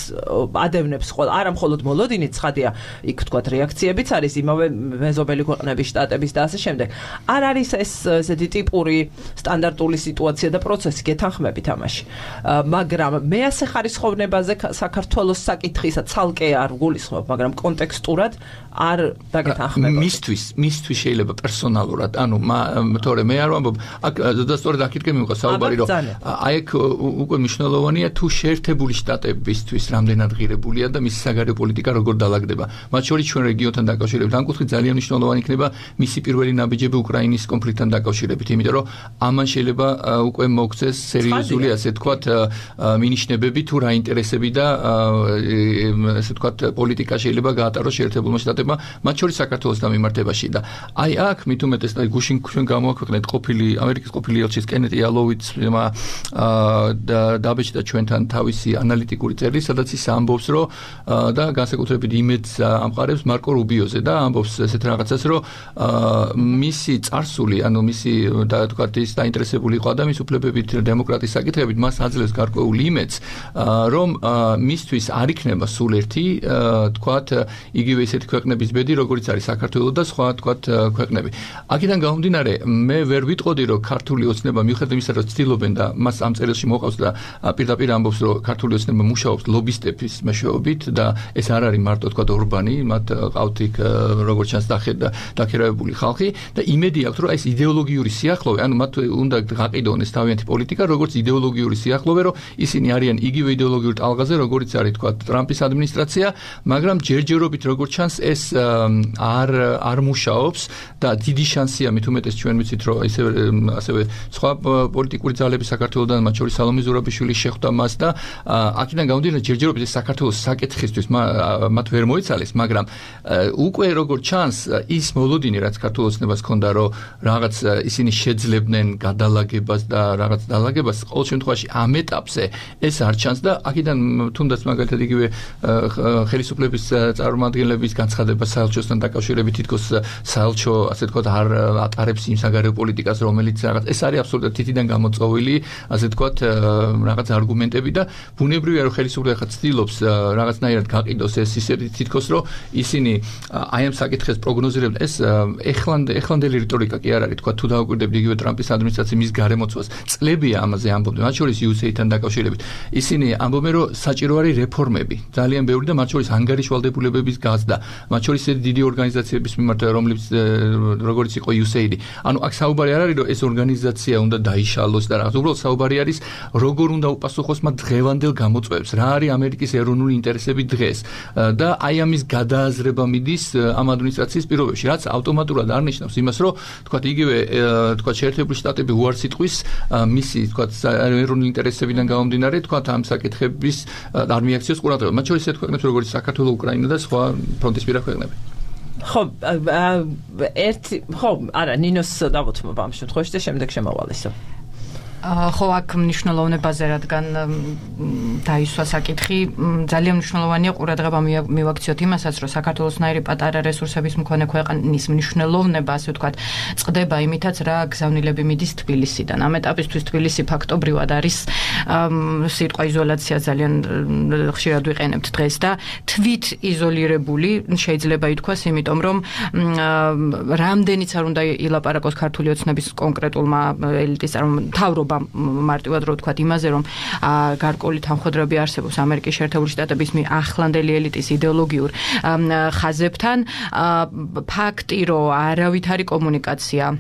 ადევნებს ყველა არა მხოლოდ მოლოდინით ცხადია იქ ვთქვათ რეაქციებიც არის იმავე მეზობელი ქვეყნების შტატების და ასე შემდეგ არ არის ეს ესეთი ტიპური სტანდარტული სიტუაცია და პროცესი გეთანხმებით ამაში მაგრამ მე ასე ხარისხოვნებაზე საქართველოს საკითხისა ცალკე არ გულისხმობ მაგრამ კონტექსტურად არ დაგეთანხმებოდი მისთვის მისთვის შეიძლება პერსონალურად ანუ თორე მე არ ვამბობ აქ და სწორედ აქეთკენ მივყვა საუბარი რომ აი ეგ უკვე მნიშვნელოვანია თუ შეერთებული შტატებისთვის რამდენად ღირებულია და მისი საგარეო პოლიტიკა როგორ დაალაგდება მათ შორის ჩვენ რეგიონთან დაკავშირებით ამ კუთხით ძალიან მნიშვნელოვანი იქნება მისი პირველი ნაბიჯები უკრაინის კონფლიქტთან დაკავშირებით იმიტომ რომ ამან შეიძლება უკვე მოგცეს სერიოზული ასე თქვათ მინიშნებები თუ რა ინტერესები და ასე თქვათ პოლიტიკა შეიძლება გაატაროს შეერთებულმა შტატებმა მათ შორის საქართველოს დამიმართებაში და აი აქ მით უმეტეს და გუშინ ჩვენ გამოაქვეყნეთ ყოფილი ამერიკის ყოფილი ელჩის კენეტი ალოვიცმა დაბეჭდა ჩვენთან თავისი ანალიტიკური წერილი, სადაც ის ამბობს, რომ და განსაკუთრებით იმედს ამყარებს მარკო რუბიოზე და ამბობს ესეთ რაღაცას, რომ მისი წარსული, ანუ მისი და თქვათ ის დაინტერესებული იყო ადამიანის უფლებებით, დემოკრატიის საკითხებით, მას აძლევს გარკვეულ იმედს, რომ მისთვის არ იქნება სულ ერთი, თქვათ, იგივე ისეთი ქვეყნების ბედი, როგორც არის საქართველოს და სხვა თქვათ ქვეყნები. აქედან გამომდინარე, მე ვერ ვიტყოდი, რომ ქართული ოცნება მიუხედავად იმისა, რომ ცდილობენ და მას ამ წერილში მოყავს და პირდაპირ ამბობს, რომ ქართული ოცნება მუშაობს ლობისტების მეშვეობით და ეს არ არის მარტო თქვათ ორბანი, მათ ყავთ იქ როგორც ჩანს დაქირავებული ხალხი და იმედი აქვს, რომ ეს იდეოლოგიური სიახლოვე, ანუ მათ უნდა გაყიდონ ეს თავიანთი პოლიტიკა, როგორც იდეოლოგიური სიახლოვე, რომ ისინი არიან იგივე იდეოლოგიურ ტალღაზე, როგორც არის თქვათ ტრამპის ადმინისტრაცია, მაგრამ ჯერჯერობით როგორც ჩანს ეს ეს არ არ მუშაობს და დიდი შანსია მით უმეტეს ჩვენ ვიცით რომ ისე ასევე სხვა პოლიტიკური ძალები საქართველოსთან მათ შორის სალომე ზურაბიშვილის შეხვდა მას და აქედან გამომდინარე ჯერჯერობით საქართველოს საკითხისთვის მათ ვერ მოიცალეს, მაგრამ უკვე როგორც ჩანს ის მოლოდინი რაც საქართველოს ცნებას ჰქონდა რომ რაღაც ისინი შეძლებდნენ გადალაგებას და რაღაც დალაგებას ყოველ შემთხვევაში ამ ეტაპზე ეს არ ჩანს და აქედან თუნდაც მაგალითად იგივე ხელისუფლების წარმომადგენლების განცხადება საელჩოსთან დაკავშირებით თითქოს საელჩო ასე ვთქვათ არ ატარებს იმ საგარეო პოლიტიკას რომელიც რაღაც ეს არის აბსოლუტურად თითიდან გამოწვეული ასე ვთქვათ რაღაც არგუმენტები და ბუნებრივია რომ ხელისუფლება ხა ცდილობს რაღაცნაირად გაყიდოს ეს ისე თითქოს რომ ისინი აი ამ საკითხებს პროგნოზირებენ ეს ეხლანდ ეხლანდელი რიტორიკა კი არ არის თქვა თუ დავაკვირდებით იგივე ტრამპის ადმინისტრაციის მის გარემოცვას წლებია ამაზე ამბობდნენ მათ შორის იუ ეს ეი-თან დაკავშირებით ისინი ამბობენ რომ საჭირო არის რეფორმები ძალიან ბევრი და მათ შორის ანგარიშვალდებულებების გაზრდა მათ შორის დიდი ორგანიზაციების მიმართ რომლებიც როგორც იყო იუ ეს ეი-დი ანუ აქ საუბარი არ არის რომ ეს ორგანიზაცია უნდა დაიშალოს და რაღაც უბრალოდ საუბარი არის როგორ უნდა უპასუხოს მათ დღევანდელ გამოწვევებს რა არის ამერიკის ეროვნული ინტერესები დღეს და აი ამის გადააზრება მიდის ამ ადმინისტრაციის პირობებში რაც ავტომატურად არ ნიშნავს იმას რომ თქვათ იგივე თქვათ შეერთებული შტატები უარს იტყვის მისი თქვათ ეროვნული ინტერესებიდან გამომდინარე თქვათ ამ საკითხების არ მიაქციოს ყურადღება მათ შორის ერთ ქვეყნებს როგორც საქართველო, უკრაინა და სხვა ფრონტისპირა ქვეყნები. ხო, ერთი ხო, არა, ნინოს დავუთმობა ამ შემთხვევაში და შემდეგ შემოვალესო. ხო აქ მნიშვნელოვნებაზე რადგან დაისვა საკითხი ძალიან მნიშვნელოვანია ყურადღება მივაქციოთ იმასაც რომ საქართველოსნაირი პატარა რესურსების მქონე ქვეყნის მნიშვნელოვნება ასე ვთქვათ წყდება იმითაც რა გზავნილები მიდის თბილისიდან ამ ეტაპისთვის თბილისი ფაქტობრივად არის სიტყვა იზოლაცია ძალიან ხშირად ვიყენებთ დღეს და თვით იზოლირებული შეიძლება ითქვას იმიტომ რომ რამდენიც არ უნდა ილაპარაკოს ქართული ოცნების კონკრეტულმა ელიტის მთავრობამ მარტივად რო ვთქვათ იმაზე რომ გარკვეული თანხმოдрები არსებობს ამერიკის შეერთებული შტატების ახლანდელი ელიტის იდეოლოგიურ ხაზებთან ფაქტი რომ არავითარი კომუნიკაცია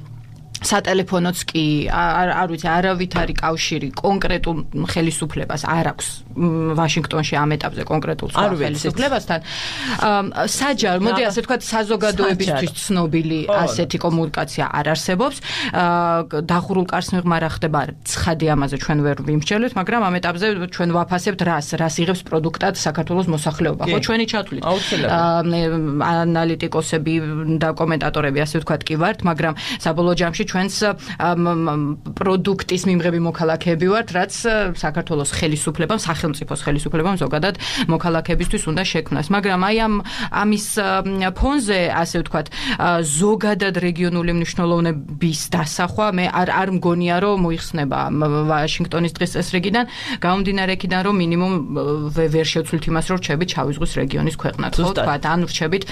სატელეფონოც კი არ არ ვიცი არავითარი კავშირი კონკრეტულ ხელისუფლებას არ აქვს ვაშინგტონში ამ ეტაპზე კონკრეტულ ხელისუფლებასთან საჯარო მოდი ასე ვთქვათ საზოგადოებისთვის ცნობილი ასეთი კომუნიკაცია არ არსებობს დახურულ კარს მიღმა ხდება ცხადი ამაზე ჩვენ ვერ ვიმსჯელოთ მაგრამ ამ ეტაპზე ჩვენ ვაფასებთ რას რას იღებს პროდუქტად საქართველოს მოსახლეობა ხო ჩვენი ჩათვლით ანალიტიკოსები და კომენტატორები ასე ვთქვათ კი ვართ მაგრამ საბოლოო ჯამში ჩვენს პროდუქტის მიმღები მოქალაქეები ვართ, რაც საქართველოს ხელისუფლებამ, სახელმწიფოს ხელისუფლებამ ზოგადად მოქალაქეებისთვის უნდა შექმნას. მაგრამ აი ამ ამის ფონზე, ასე ვთქვათ, ზოგადად რეგიონული მნიშვნელოვნების დასახვა მე არ არ მგონია, რომ მოიხსნება ვაშინგტონის დღის წესრიგიდან, გამომდინარე იქიდან, რომ მინიმუმ ვერ შევცვლით იმას, რომ რჩებით შავიზღვის რეგიონის ქვეყნად, ხო ვთქვათ, ან რჩებით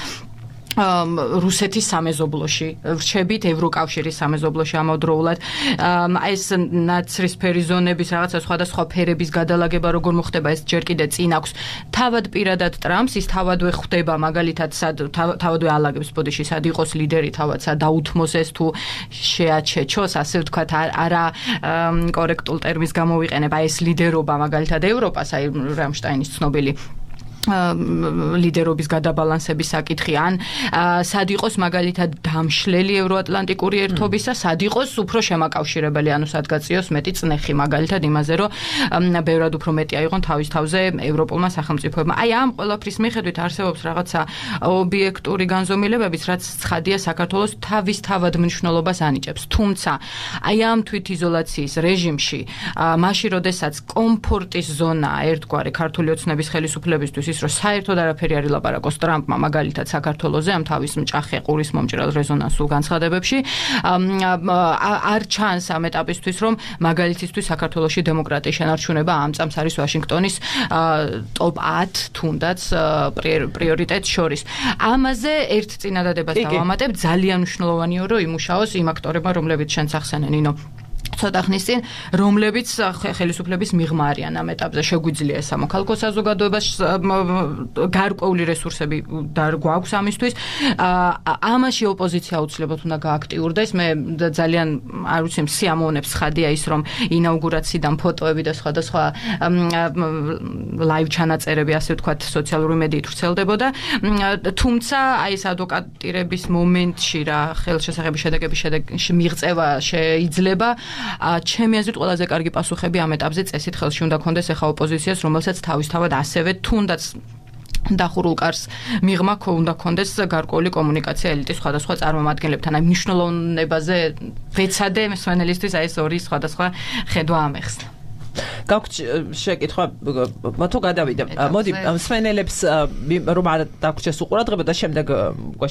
რუსეთის სამეზობლოში, რჩებით ევროკავშირის სამეზობლოში ამავდროულად. ეს ნაცრისფერი ზონების რაღაცა სხვადასხვა ფერების გადალაგება როგორ მოხდება, ეს ჯერ კიდე წინ აქვს. თავად პირადად ტრამპს ის თავადვე ხვდება, მაგალითად, თავადვე ალაგებს ბოდიში, სად იყოს ლიდერი, თავად სად დაუთმოს ეს თუ შეაჩეჩოს, ასე ვთქვათ, არა კორექტულ ტერმინს გამოვიყენებ, აი ეს ლიდერობა მაგალითად ევროპას, აი რამშტაინის ცნობილი ლიდერობის გადაბალანსების საკითხი ან სად იყოს მაგალითად დამშლელი ევროატლანტიკური ერთობისა, სად იყოს უფრო შემაკავშირებელი, ანუ სად გაწიოს მეტი წნეხი მაგალითად იმაზე, რომ ბევრად უფრო მეტი აიღონ თავის თავზე ევროპულმა სახელმწიფოებმა. აი ამ ყველაფრის მიხედვით არსებობს რაღაცა ობიექტური განზომილებებიც, რაც ცხადია საქართველოს თავისთავად მნიშვნელობას ანიჭებს. თუმცა აი ამ თვითიზოლაციის რეჟიმში, მაშინ როდესაც კომფორტის ზონა ერთგვარი ქართული ოცნების ხელისუფლებისთვის რომ საერთოდ არაფერი არ ილაპარაკოს ტრამპმა მაგალითად საქართველოზე ამ თავის მჭახე ყურის მომჭრელ რეზონანსულ განცხადებებში არ ჩანს ამ ეტაპისთვის რომ მაგალითისთვის საქართველოში დემოკრატიის შენარჩუნება ამ წამს არის ვაშინგტონის ტოპ ათი თუნდაც პრიორიტეტს შორის ამაზე ერთ წინადადებას დავამატებ ძალიან მნიშვნელოვანია რომ იმუშაოს იმ აქტორებმა რომლებიც შენც ახსენე ნინო ცოტა ხნის წინ, რომლებიც ხელისუფლების მიღმა არიან ამ ეტაპზე. შეგვიძლია ეს სამოქალაქო საზოგადოებას გარკვეული რესურსები გვაქვს ამისთვის. ამაში ოპოზიცია აუცილებლად უნდა გააქტიურდეს. მე ძალიან არ ვიცი, სიამოვნებს ხადია ის, რომ ინაუგურაციიდან ფოტოები და სხვადასხვა ლაივ ჩანაწერები, ასე ვთქვათ, სოციალური მედიით ვრცელდებოდა. თუმცა აი ეს ადვოკატირების მომენტში რა ხელშესახების შედეგების შედეგში მიღწევა შეიძლება. ჩემი აზრით ყველაზე კარგი პასუხები ამ ეტაპზე წესით ხელში უნდა ქონდეს ახლა ოპოზიციას, რომელსაც თავისთავად ასევე თუნდაც დახურულ კარს მიღმა უნდა ქონდეს გარკვეული კომუნიკაცია ელიტის სხვადასხვა წარმომადგენლებთან. აი მნიშვნელოვნებაზე ვეცადე მსმენელისთვის აი ეს ორი სხვადასხვა ხედვა ამეხსნა. გაქვთ შეკითხვა თუ გადავიდე. მოდი მსმენელებს რომ არ დაგვრჩეს უყურადღება და შემდეგ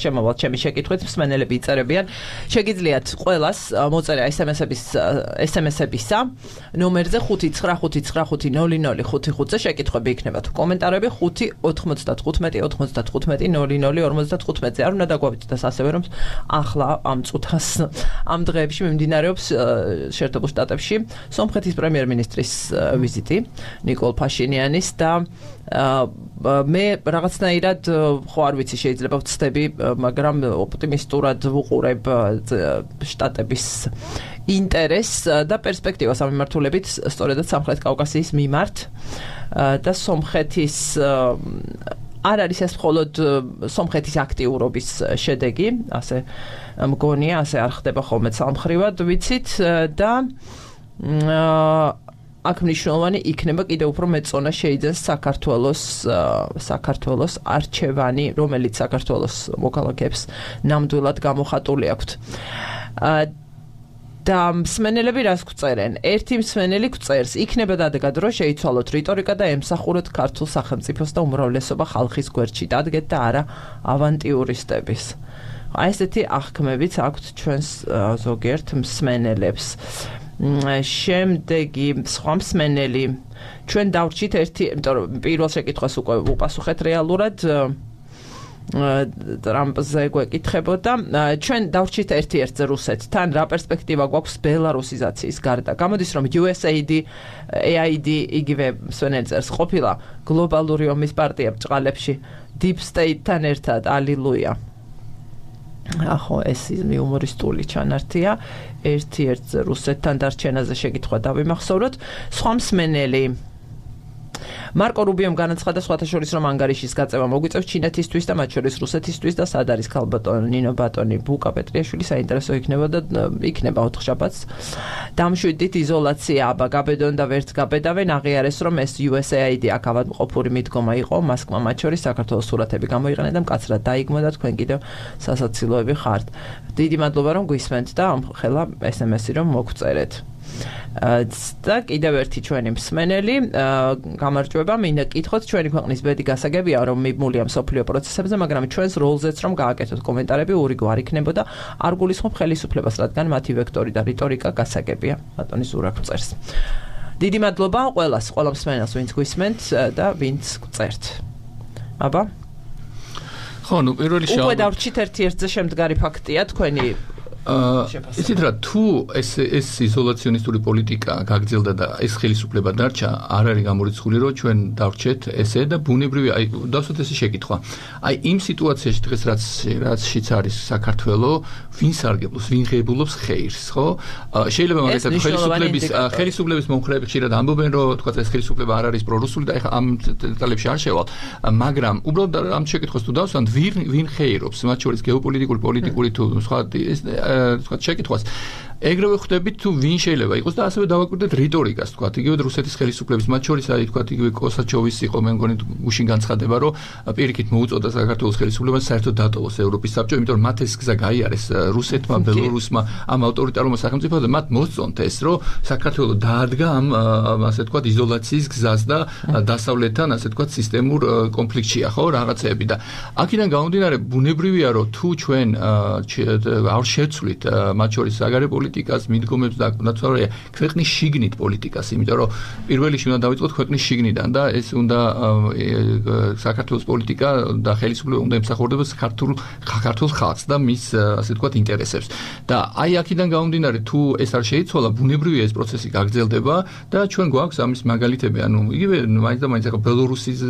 შემოვალთ ჩემი შეკითხვით მსმენელები იწერებიან. შეგიძლიათ ყველას მოწერა ესემესების ესემესებისა ნომერზე ხუთი ცხრა ხუთი ცხრა ხუთი ნული ნული ხუთი ხუთზე შეკითხვები იქნება თუ კომენტარები ხუთი ოთხმოცდათხუთმეტი ოთხმოცდათხუთმეტი ნული ნული ორმოცდათხუთმეტზე. არ უნდა დაგვავითდეს ასევე რომ ახლა ამ წუთას ამ დღეებში მიმდინარეობს შეერთებულ შტატებში სომხეთის პრემიერ-მინისტრის ვიზიტი ნიკოლ ფაშინიანის და მე რაღაცნაირად ხო არ ვიცი შეიძლება ვცდები, მაგრამ ოპტიმისტურად ვუყურებ შტატების ინტერესს და პერსპექტივას ამ მიმართულებით სწორედად სამხრეთ კავკასიის მიმართ და სომხეთის არ არის ეს მხოლოდ სომხეთის აქტიურობის შედეგი, ასე მგონია, ასე არ ხდება ხოლმე სამხრივად, ვიცით და აქ მნიშვნელოვანი იქნება კიდევ უფრო მეწონა შეიძენს საქართველოს საქართველოს არჩევანი, რომელიც საქართველოს მოქალაქეებს ნამდვილად გამოხატული აქვთ. და მსმენელები რას გვწერენ? ერთი მსმენელი გვწერს, იქნება დადეგად რომ შეიცვალოთ რიტორიკა და ემსახუროთ ქართულ სახელმწიფოს და უმრავლესობა ხალხის გვერდში დადგეთ და არა ავანტიურისტების. აი ესეთი აღქმებიც აქვთ ჩვენს ზოგიერთ მსმენელებს. შემდეგი სხვა მსმენელი ჩვენ დავრჩით ერთი, იმიტომ რომ პირველ შეკითხვას უკვე უპასუხეთ რეალურად ტრამპზე გვეკითხებოდა. ჩვენ დავრჩით ერთ-ერთზე რუსეთთან, რა პერსპექტივა გვაქვს ბელარუსიზაციის გარდა. გამოდის რომ იუ ეს ეი დი ეი აი დი იგივე მსმენელი წერს ყოფილა გლობალური ომის პარტია ბჭყალებში Deep State-თან ერთად, ალილუია. ახო ეს იუმორისტული ჩანართია. ერთ-ერთზე რუსეთთან დარჩენაზე შეკითხვა დავიმახსოვროთ. სხვა მსმენელი მარკო რუბიომ განაცხადა სხვათა შორის რომ ანგარიშის გაწევა მოგვიწევს ჩინეთისთვის და მათ შორის რუსეთისთვის და სად არის ქალბატონი ნინო ბატონი ბუკა პეტრიაშვილი საინტერესო იქნება და იქნება ოთხშაბათს. დამშვიდით იზოლაცია აბა გაბედონ და ვერც გაბედავენ აღიარეს რომ ეს იუ ეს ეი დი აქ ავადმყოფური მიდგომა იყო მასკმა მათ შორის საქართველოს სურათები გამოიყენა და მკაცრად დაიგმო და თქვენ კიდევ სასაცილოები ხართ. დიდი მადლობა რომ გვისმენთ და ხელა ეს ემ ესი რომ მოგწერეთ. და კიდევ ერთი ჩვენი მსმენელი გამარჯვება, მინდა გკითხოთ ჩვენი ქვეყნის ბედი გასაგებია რომ მიბმულია მსოფლიო პროცესებზე, მაგრამ ჩვენს როლზეც რომ გააკეთოთ კომენტარები ურიგო არ იქნებოდა, არ გულისხმობ ხელისუფლებას, რადგან მათი ვექტორი და რიტორიკა გასაგებია. ბატონი ზურა გვწერს. დიდი მადლობა ყველას, ყველა მსმენელს ვინც გვისმენთ და ვინც გწერთ. აბა ხო, ნუ პირველი შავ უკვე დავრჩით ერთ-ერთზე შემდგარი ფაქტია თქვენი ისიც რა თუ ეს ეს იზოლაციონისტური პოლიტიკა გაგრძელდა და ეს ხელისუფლება დარჩა, არ არის გამორიცხული რომ ჩვენ დავრჩეთ ესე და ბუნებრივი აი დავსვათ ესე შეკითხვა. აი იმ სიტუაციაში დღეს რაც რაცშიც არის საქართველო, ვინ სარგებლობს, ვინ ღებულობს ხეირს, ხო? შეიძლება მაგალითად ხელისუფლების ხელისუფლების მომხრეები ხშირად ამბობენ რომ თქვა ეს ხელისუფლება არ არის პრორუსული და ეხლა ამ დეტალებში არ შევალ, მაგრამ უბრალოდ ამ შეკითხვას თუ დავსვათ, ვინ ვინ ხეირობს, მათ შორის გეოპოლიტიკური, პოლიტიკური თუ სხვა თქვა შეკითხვას ეგრევე ხვდებით თუ ვინ შეიძლება იყოს და ასევე დავაკვირდეთ რიტორიკას თქვა იგივე რუსეთის ხელისუფლების მათ შორის არის თქვა იგივე კოსაჩოვის იყო მე მგონი გუშინ განცხადება რომ პირიქით მოუწოდა საქართველოს ხელისუფლებას საერთოდ დატოვოს ევროპის საბჭო იმიტომ რომ მათ ეს გზა გაიარეს რუსეთმა ბელორუსმა ამ ავტორიტარულმა სახელმწიფოებმა მათ მოსწონთ ეს რომ საქართველო დაადგა ამ ასე თქვა იზოლაციის გზას და დასავლეთთან ასე თქვა სისტემურ კონფლიქტშია ხო რაღაცეები და აქედან გამომდინარე ბუნებრივია რომ თუ ჩვენ არ შევცვლით მათ შორის საგარეო პოლიტიკას, მიდგომებს და ნაცვლად ქვეყნის შიგნით პოლიტიკას, იმიტომ რომ პირველ რიგში უნდა დავიწყოთ ქვეყნის შიგნიდან და ეს უნდა საქართველოს პოლიტიკა და ხელისუფლება უნდა ემსახურებდეს ქართულ ქართულ ხალხს და მის ასე ვთქვათ ინტერესებს. და აი აქედან გამომდინარე თუ ეს არ შეიცვალა, ბუნებრივია ეს პროცესი გაგრძელდება და ჩვენ გვაქვს ამის მაგალითები, ანუ იგივე მაინც და მაინც ახლა ბელორუსის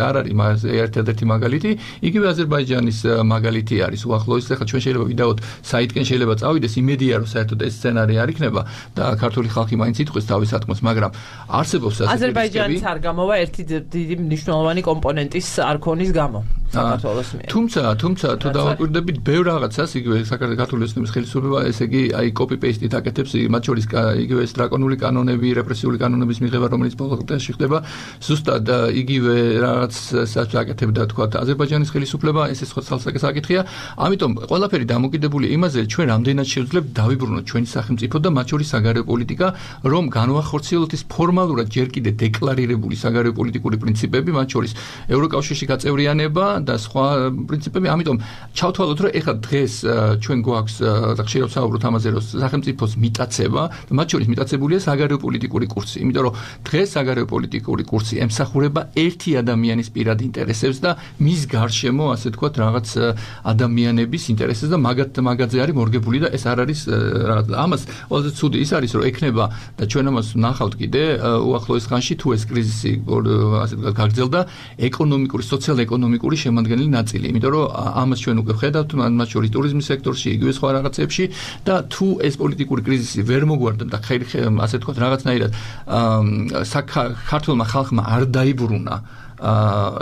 არ არის ერთადერთი მაგალითი, იგივე აზერბაიჯანის მაგალითი არის უახლოეს. ახლა ჩვენ შეიძლება ვიდაოთ საიტკენ შეიძლება წავიდეს, იმედია რომ საერთოდ ეს სცენარი არ იქნება და ქართული ხალხი მაინც იტყვის თავის ატმოს, მაგრამ არსებობს ასეთი აზერბაიჯანის არ გამოვა ერთი დიდი მნიშვნელოვანი კომპონენტის არქონის გამო საქართველოს მიერ. თუმცა, თუმცა თუ დავაკვირდებით ბევრ რაღაცას, იგივე საქართველოს ოცნების ხელისუფლება, ესე იგი აი copy paste-ით აკეთებს, მათ შორის იგივე ეს დრაკონული კანონები, რეპრესიული კანონების მიღება, რომელიც ბოლო წლებში ხდება, ზუსტად იგივე რაღაცას აკეთებდა თქვა აზერბაიჯანის ხელისუფლება, ეს ეს ხალხს აკითხია. ამიტომ ყველაფერი დამოკიდებული იმაზე, ჩვენ რამდენად შევძლებთ დავიბრუნოთ ჩვენი სახელმწიფო და მათ შორის საგარეო პოლიტიკა, რომ განვახორციელოთ ის ფორმალურად ჯერ კიდე დეკლარირებული საგარეო პოლიტიკური პრინციპები, მათ შორის ევროკავშირში გაწევრიანება და სხვა პრინციპები. ამიტომ ჩავთვალოთ, რომ ეხლა დღეს ჩვენ გვაქვს და ხშირად საუბრობთ ამაზე, რომ სახელმწიფოს მიტაცება და მათ შორის მიტაცებულია საგარეო პოლიტიკური კურსი. იმიტომ რომ დღეს საგარეო პოლიტიკური კურსი ემსახურება ერთი ადამიანის პირად ინტერესებს და მის გარშემო, ასე ვთქვათ, რაღაც ადამიანების ინტერესებს და მაგათ მაგაზე არის მორგებული და ეს არ არის რაღაც. ამას ყველაზე ცუდი ის არის, რომ ექნება და ჩვენ ამას ნახავთ კიდე უახლოეს ხანში თუ ეს კრიზისი ასე ვთქვათ გაგრძელდა ეკონომიკური, სოციალ-ეკონომიკური შემადგენელი ნაწილი. იმიტომ რომ ამას ჩვენ უკვე ვხედავთ, მათ შორის ტურიზმის სექტორში, იგივე სხვა რაღაცებში და თუ ეს პოლიტიკური კრიზისი ვერ მოგვარდა და ასე ვთქვათ რაღაცნაირად საქართველოს ხალხმა არ დაიბრუნა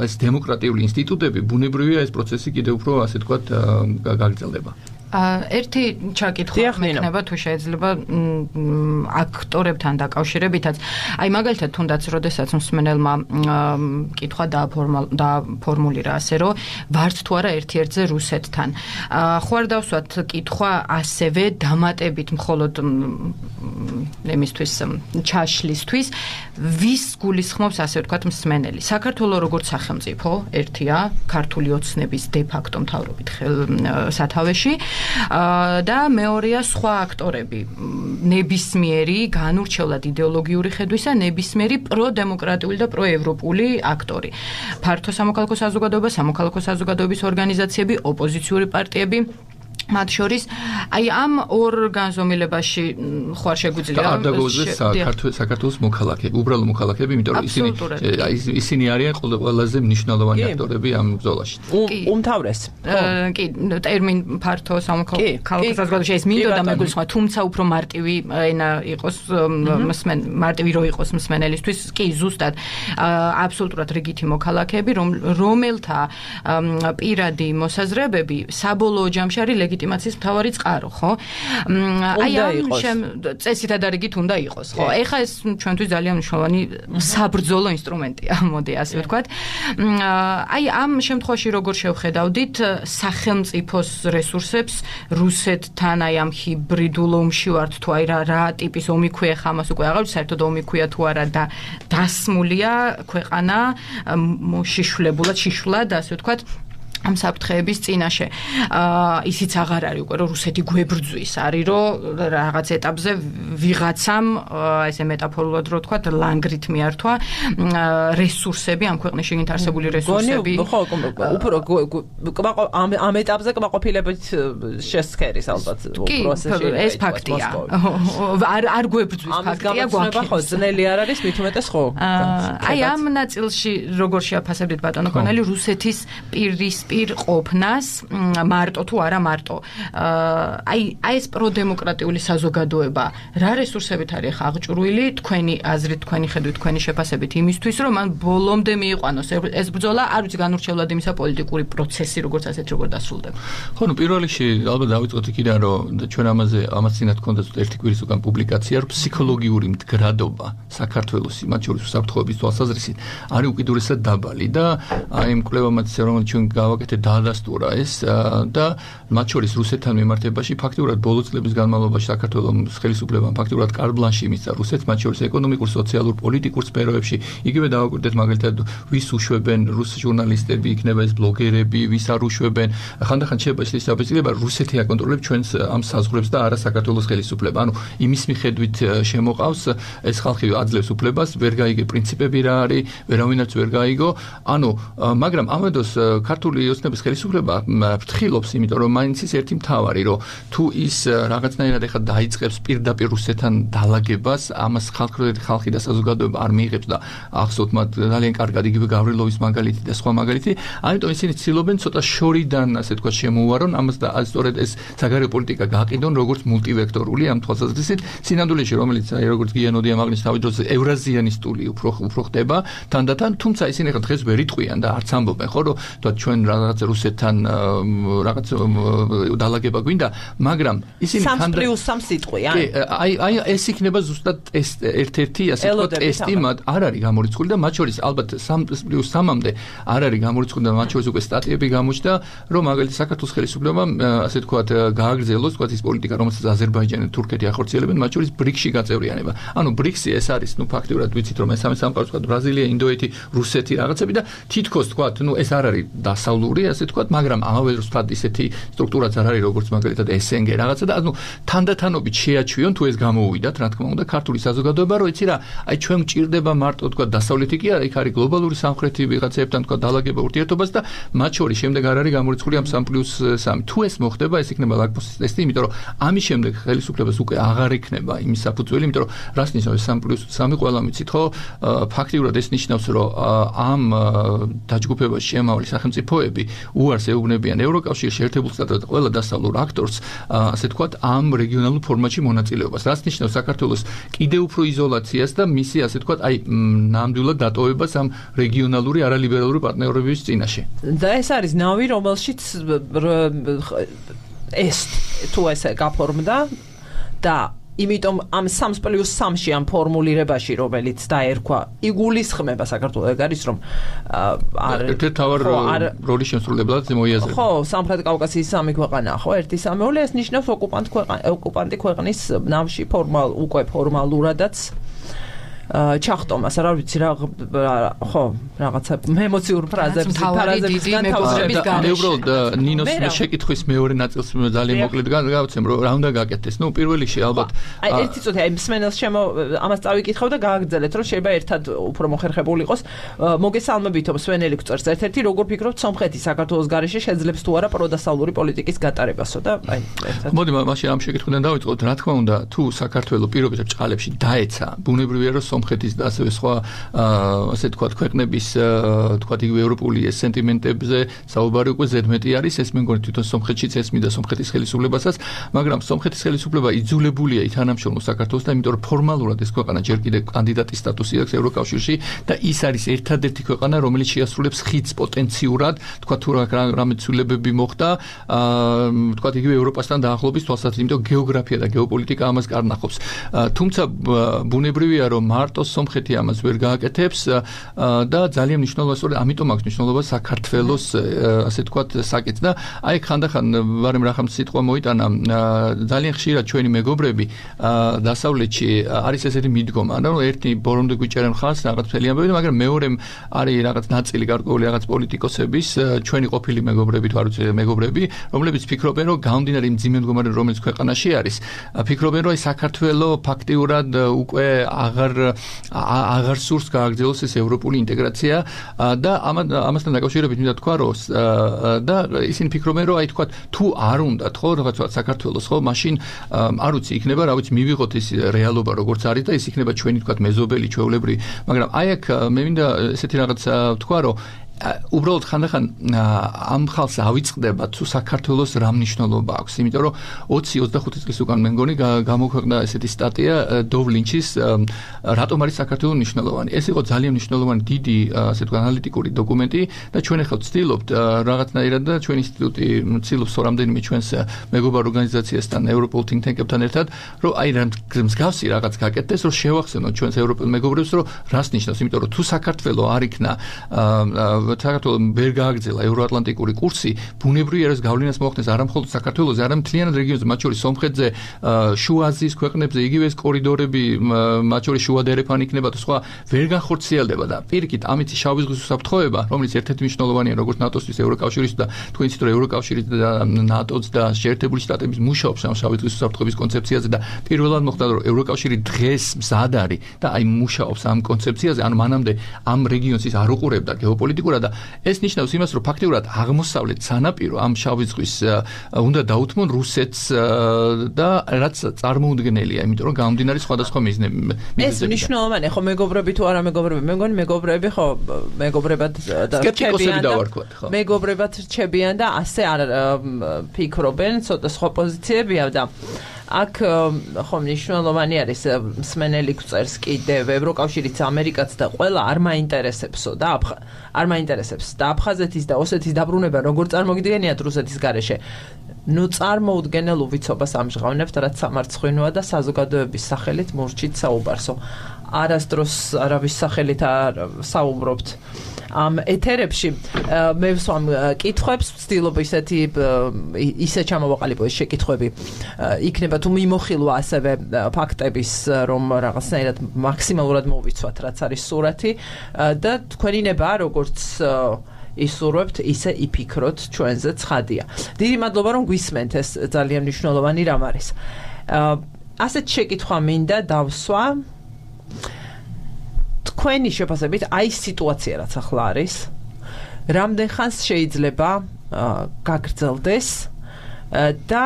ეს დემოკრატიული ინსტიტუტები, ბუნებრივია ეს პროცესი კიდევ უფრო ასე ვთქვათ გაგრძელდება. ერთი ჩაკითხვა მექნება თუ შეიძლება აქტორებთან დაკავშირებითაც. აი მაგალითად თუნდაც როდესაც მსმენელმა კითხვა დააფორმულირა ასე რომ ვართ თუ არა ერთ-ერთზე რუსეთთან. ხო არ დავსვათ კითხვა ასევე დამატებით მხოლოდ იმისთვის ჩაშლისთვის, ვის გულისხმობს ასე ვთქვათ მსმენელი. საქართველოს როგორც სახელმწიფო ერთია, ქართული ოცნების de facto მთავრობით სათავეში და მეორეა სხვა აქტორები, ნებისმიერი განურჩევლად იდეოლოგიური ხედვისა, ნებისმიერი პროდემოკრატიული და პროევროპული აქტორი. ფართო სამოქალაქო საზოგადოება, სამოქალაქო საზოგადოების ორგანიზაციები, ოპოზიციური პარტიები მათ შორის აი ამ ორ განზომილებაში ხო არ შეგვიძლია არ დაგოუძეს საქართველოს მოქალაქეები, უბრალო მოქალაქეები, იმიტომ რომ ისინი ისინი არიან ყველაზე მნიშვნელოვანი აქტორები ამ ბრძოლაში. უმთავრეს. კი, ტერმინ ფართო სამოქალაქო საზოგადოებაში ეს მინდოდა მეგულისხმა, თუმცა უფრო მარტივი ენა იყოს მსმენ მარტივი რო იყოს მსმენელისთვის, კი, ზუსტად აბსოლუტურად რიგითი მოქალაქეები, რომელთა პირადი მოსაზრებები საბოლოო ჯამში არის ლეგიტიმაციის მთავარი წყარო, ხო? აი ამ წესითა და რიგით უნდა იყოს, ხო? ეხლა ეს ჩვენთვის ძალიან მნიშვნელოვანი საბრძოლო ინსტრუმენტია, მოდი ასე ვთქვათ. აი ამ შემთხვევაში როგორ შევხედავდით სახელმწიფოს რესურსებს რუსეთთან აი ამ ჰიბრიდულ ომში ვართ თუ აი რა რა ტიპის ომი ქვია ხა ამას უკვე აღარ საერთოდ ომი ქვია თუ არა და დასმულია ქვეყანა მოშიშვლებულად, შიშვლად ასე ვთქვათ ამ საფრთხეების წინაშე. ისიც აღარ არის უკვე რომ რუსეთი გვებრძვის, არის რომ რაღაც ეტაპზე ვიღაცამ ესე მეტაფორულად რო ვთქვათ ლანგრით მიართვა რესურსები, ამ ქვეყნის შიგნით არსებული რესურსები. ხო, უფრო ამ ეტაპზე კმაყოფილებით შესქერის ალბათ პროცესში. ეს ფაქტია. არ არ გვებრძვის ფაქტია, გვაქცევა ხო, ძნელი არ არის, მით უმეტეს ხო. აი ამ ნაწილში როგორ შეაფასებდით ბატონო კონელი რუსეთის პირის პირ ყოფნას მარტო თუ არა მარტო. აი აი ეს პროდემოკრატიული საზოგადოება რა რესურსებით არის აღჭურვილი თქვენი აზრით, თქვენი ხედვით, თქვენი შეფასებით იმისთვის, რომ მან ბოლომდე მიიყვანოს ეს ბრძოლა, არ ვიცი განურჩევლად იმისა პოლიტიკური პროცესი როგორც ასეთ როგორ დასრულდება. ხო, ნუ პირველ რიგში ალბათ დავიწყოთ იქიდან, რომ ჩვენ ამაზე ამას წინათ გქონდა ერთი კვირის უკან პუბლიკაცია, რომ ფსიქოლოგიური მდგრადობა საქართველოს იმათ შორის უსაფრთხოების თვალსაზრისით არის უკიდურესად დაბალი და აი იმ კვლევამაც რომელიც ჩვენ გავაკეთეთ დაადასტურა ეს და მათ შორის რუსეთთან მიმართებაში ფაქტიურად ბოლო წლების განმავლობაში საქართველოს ხელისუფლებამ ფაქტიურად კარბლანში მისცა რუსეთს მათ შორის ეკონომიკურ, სოციალურ, პოლიტიკურ სფეროებში. იგივე დავაკვირდეთ მაგალითად ვის უშვებენ რუს ჟურნალისტები, იქნება ეს ბლოგერები, ვის არ უშვებენ. ხანდახან შეიძლება ისეთი საბეჭდილება რუსეთი აკონტროლებს ჩვენს ამ საზღვრებს და არა საქართველოს ხელისუფლება. ანუ იმის მიხედვით შემოყავს ეს ხალხი აძლევს უფლებას, ვერ გაიგე პრინციპები რა არის, ვერავინაც ვერ გაიგო. ანუ მაგრამ ამადოს ქართული ოცნების ხელისუფლება ფრთხილობს, იმიტომ რომ მაინც ის ერთი მთავარი, რომ თუ ის რაღაცნაირად ეხა დაიწყებს პირდაპირ რუსეთთან დალაგებას, ამას ხალხი ხალხი და საზოგადოება არ მიიღებს და ახსოვთ მათ ძალიან კარგად იგივე გავრილოვის მაგალითი და სხვა მაგალითი, ამიტომ ისინი ცდილობენ ცოტა შორიდან, ასე თქვა, შემოუარონ ამას და სწორედ ეს საგარეო პოლიტიკა გაყიდონ როგორც მულტივექტორული ამ თვალსაზრისით, სინამდვილეში რომელიც აი როგორც გიანოდია მაგნის თავი დროს ევრაზიანისტული უფრო უფრო ხდება თანდათან, თუმცა ისინი ხა დღეს ვერ იტყვიან და არც ამბობენ, ხო, რომ თქვა ჩვენ რაღაც რუსეთთან რაღაც დალაგება გვინდა, მაგრამ ისინი სამს პლუს სამს იტყვიან. კი, აი აი ეს იქნება ზუსტად ეს ერთ-ერთი ასე თქვა ტესტი, მათ არ არის გამორიცხული და მათ შორის ალბათ სამს პლუს სამამდე არ არის გამორიცხული და მათ შორის უკვე სტატიები გამოჩნდა, რომ მაგალითად საქართველოს ხელისუფლებამ ასე თქვა გააგრძელოს თქვა ის პოლიტიკა, რომელსაც აზერბაიჯანი და თურქეთი ახორციელებენ, მათ შორის ბრიქსში გაწევრიანება. ანუ ბრიქსი ეს არის, ნუ ფაქტიურად ვიცით რომ მესამე სამყარო თქვა ბრაზილია, ინდოეთი, რუსეთი რაღაცები და თითქოს თქვა, ნუ ეს არ არის დასავლური, ასე თქვა, მაგრამ ამავე დროს თქვა ისეთი სტრუქტურაც არ არის როგორც მაგალითად ეს εν გი რაღაცა და ანუ თანდათანობით შეაჩვიონ თუ ეს გამოუვიდათ, რა თქმა უნდა, ქართული საზოგადოება, რომ იცი რა, აი ჩვენ გვჭირდება მარტო თქვა დასავლეთი კი არა, იქ არის გლობალური სამხრეთი ვიღაცებთან თქვა დალაგება ურთიერთობას და მათ შორის შემდეგ არ არის გამორიცხული ამ სამს პლუს სამი. თუ ეს მოხდება, ეს იქნება ლაკმუსის ტესტი, იმიტომ რომ ამის შემდეგ ხელისუფლებას უკვე აღარ იქნება იმის საფუძველი, იმიტომ რომ რას ნიშნავს სამს პლუს სამი ყველა მიცით, ხო? ფაქტიურად ეს ნიშნავს, რომ ამ დაჯგუფებაში შემავალი სახელმწიფოები უარს ეუბნებიან ევროკავშირში ერთებულ სტატუსს და ყველა დასავლურ აქტორს, ასე თქვათ, ამ რეგიონალურ ფორმატში მონაწილეობას. რაც ნიშნავს საქართველოს კიდევ უფრო იზოლაციას და მისი, ასე თქვათ, აი ნამდვილად დატოვებას ამ რეგიონალური არალიბერალური პარტნიორობის წინაშე. და ეს არის ნავი, რომელშიც ეს თუ ესე გაფორმდა და იმიტომ ამ სამს პლუს სამში ამ ფორმულირებაში, რომელიც დაერქვა, იგულისხმება საქართველოს ეგ არის, რომ არ ერთ-ერთი თავარ როლის შემსრულებლად მოიაზრება. ხო, სამხრეთ კავკასიის სამი ქვეყანაა, ხო, ერთი სამეული, ეს ნიშნავს ოკუპანტ ქვეყანა, ოკუპანტი ქვეყნის ნავში ფორმალ უკვე ფორმალურადაც ჩახტომას, რა ვიცი რა, ხო, რაღაცა ემოციურ ფრაზებს, ფრაზების განთავსების გამო. უბრალოდ ნინოს შეკითხვის მეორე ნაწილს ძალიან მოკლედ გავაცემ, რომ რა უნდა გაკეთდეს. ნუ პირველ რიგში ალბათ აი ერთი წუთი აი მსმენელს შემო ამას წავიკითხავ და გააგრძელეთ, რომ შეიძლება ერთად უფრო მოხერხებული იყოს. მოგესალმებითო მსმენელი გწერს ერთ-ერთი, როგორ ფიქრობთ სომხეთი საქართველოს გარეშე შეძლებს თუ არა პროდასავლური პოლიტიკის გატარებასო და აი ერთად. მოდი მაშინ ამ შეკითხვიდან დავიწყოთ. რა თქმა უნდა, თუ საქართველოს პირობითად ჭყალებში დაეცა, ბუნებრივია რომ სომხეთის და ასევე სხვა ასე თქვა ქვეყნების თქვა იგივე ევროპული სენტიმენტებზე საუბარი უკვე ზედმეტი არის, ეს მე მგონი თვითონ სომხეთშიც ესმიდა სომხეთის ხელისუფლებასაც, მაგრამ სომხეთის ხელისუფლება იძულებულია ითანამშრომლოს საქართველოს და იმიტომ რომ ფორმალურად ეს ქვეყანა ჯერ კიდევ კანდიდატის სტატუსი აქვს ევროკავშირში და ის არის ერთადერთი ქვეყანა, რომელიც შეასრულებს ხიდს პოტენციურად, თქვა თუ რამე ცვლილებები მოხდა, თქვა იგივე ევროპასთან დაახლოების თვალსაზრისით, იმიტომ გეოგრაფია და გეოპოლიტიკა ამას კარნახობს. თუმცა ბუნებრივია რომ მარტო სომხეთი ამას ვერ გააკეთებს და ძალიან მნიშვნელოვანია, ამიტომ აქვს მნიშვნელობა საქართველოს ასე თქვათ საკითხს და აი ხანდახან ვარემ რახამ სიტყვა მოიტანა, ძალიან ხშირად ჩვენი მეგობრები დასავლეთში არის ესეთი მიდგომა, რომ ერთი ბორომდე გვიჭერენ ხალხს რაღაც მთელი ამბები, მაგრამ მეორემ არის რაღაც ნაწილი გარკვეული რაღაც პოლიტიკოსების, ჩვენი ყოფილი მეგობრები თუ არ ვიცი მეგობრები, რომლებიც ფიქრობენ, რომ გამომდინარე იმ მძიმე მდგომარეობიდან, რომელიც ქვეყანაში არის, ფიქრობენ, რომ საქართველოს ფაქტიურად უკვე აღარ აღარ სურს გააგრძელოს ეს ევროპული ინტეგრაცია და ამასთან დაკავშირებით მინდა თქვა, რომ და ისინი ფიქრობენ, რომ აი თქვა თუ არ უნდათ ხო რაღაცა საქართველოს ხო, მაშინ არ ვიცი, იქნება რა ვიცი, მივიღოთ ის რეალობა როგორც არის და ის იქნება ჩვენი თქვა მეზობელი, ჩვეულებრივი, მაგრამ აი აქ მე მინდა ესეთი რაღაც თქვა, რომ უბრალოდ ხანდახან ამ ხალხს ავიწყდება თუ საქართველოს რა მნიშვნელობა აქვს, იმიტომ რომ ოცი ოცდახუთი წლის უკან მე მგონი გამოქვეყნდა ესეთი სტატია დოვ ლინჩის რატომ არის საქართველო მნიშვნელოვანი. ეს იყო ძალიან მნიშვნელოვანი დიდი ასე თქვა ანალიტიკური დოკუმენტი და ჩვენ ახლა ვცდილობთ რაღაცნაირად და ჩვენ ინსტიტუტი ვცდილობს რამდენიმე ჩვენს მეგობარ ორგანიზაციასთან, ევროპულ think tank-ებთან ერთად, რომ აი რა მსგავსი რაღაც გაკეთდეს, რომ შევახსენოთ ჩვენს ევროპელ მეგობრებს, რომ რას ნიშნავს, იმიტომ რომ თუ საქართველო არ იქნა საქართველოს ვერ გააგრძელა ევროატლანტიკური კურსი, ბუნებრივია რომ გავლენას მოახდენს არა მხოლოდ საქართველოს, არამედ მთლიანად რეგიონზე, მათ შორის სომხეთზე, შუა აზიის ქვეყნებზე, იგივე ეს კორიდორები, მათ შორის შუა დერეფანი იქნება და სხვა ვერ განხორციელდება და პირიქით ამით შავი ზღვის უსაფრთხოება, რომელიც ერთ-ერთი მნიშვნელოვანია როგორც ნატოსთვის, ევროკავშირის და თქვენ იცით რომ ევროკავშირის და ნატოს და შეერთებული შტატების მუშაობს ამ შავი ზღვის უსაფრთხოების კონცეფციაზე და პირველად მოხდა რომ ევროკავშირი დღეს მზად არის და აი მუშაობს ამ კონცეფციაზე, ანუ მანამდე ამ რეგიონს ის არ უყურებდა გეოპოლიტიკურად და ეს ნიშნავს იმას, რომ ფაქტიურად აღმოსავლეთ სანაპირო ამ შავი ზღვის უნდა დაუთმონ რუსეთს და რაც წარმოუდგენელია, იმიტომ რომ გამომდინარე სხვადასხვა მიზნები. ეს მნიშვნელოვანია, ხო მეგობრები თუ არა მეგობრები, მე მგონი მეგობრები ხო მეგობრებად და სკეპტიკოსები დავარქვათ, ხო. მეგობრებად რჩებიან და ასე არ ფიქრობენ, ცოტა სხვა პოზიციებია და აქ ხო მნიშვნელოვანი არის მსმენელი გვწერს კიდევ ევროკავშირიც ამერიკაც და ყველა არ მაინტერესებსო და არ მაინტერესებს და აფხაზეთის და ოსეთის დაბრუნება როგორ წარმოგიდგენიათ რუსეთის გარეშე ნუ წარმოუდგენელ უვიცობას ამჟღავნებთ რაც სამარცხვინოა და საზოგადოების სახელით მურჩით საუბარსო არასდროს არავის სახელით არ საუბრობთ ამ ეთერებში მე ვსვამ კითხვებს ვცდილობ ისეთი ისე ჩამოვაყალიბო ეს შეკითხვები იქნება თუ მიმოხილვა ასევე ფაქტების რომ რაღაცნაირად მაქსიმალურად მოვიცვათ რაც არის სურათი და თქვენინება როგორც ისურვებთ ისე იფიქროთ ჩვენზე ცხადია დიდი მადლობა რომ გვისმენთ ეს ძალიან მნიშვნელოვანი რამ არის ასეთ შეკითხვა მინდა დავსვა თქვენი შეფასებით აი სიტუაცია რაც ახლა არის რამდენ ხანს შეიძლება გაგრძელდეს და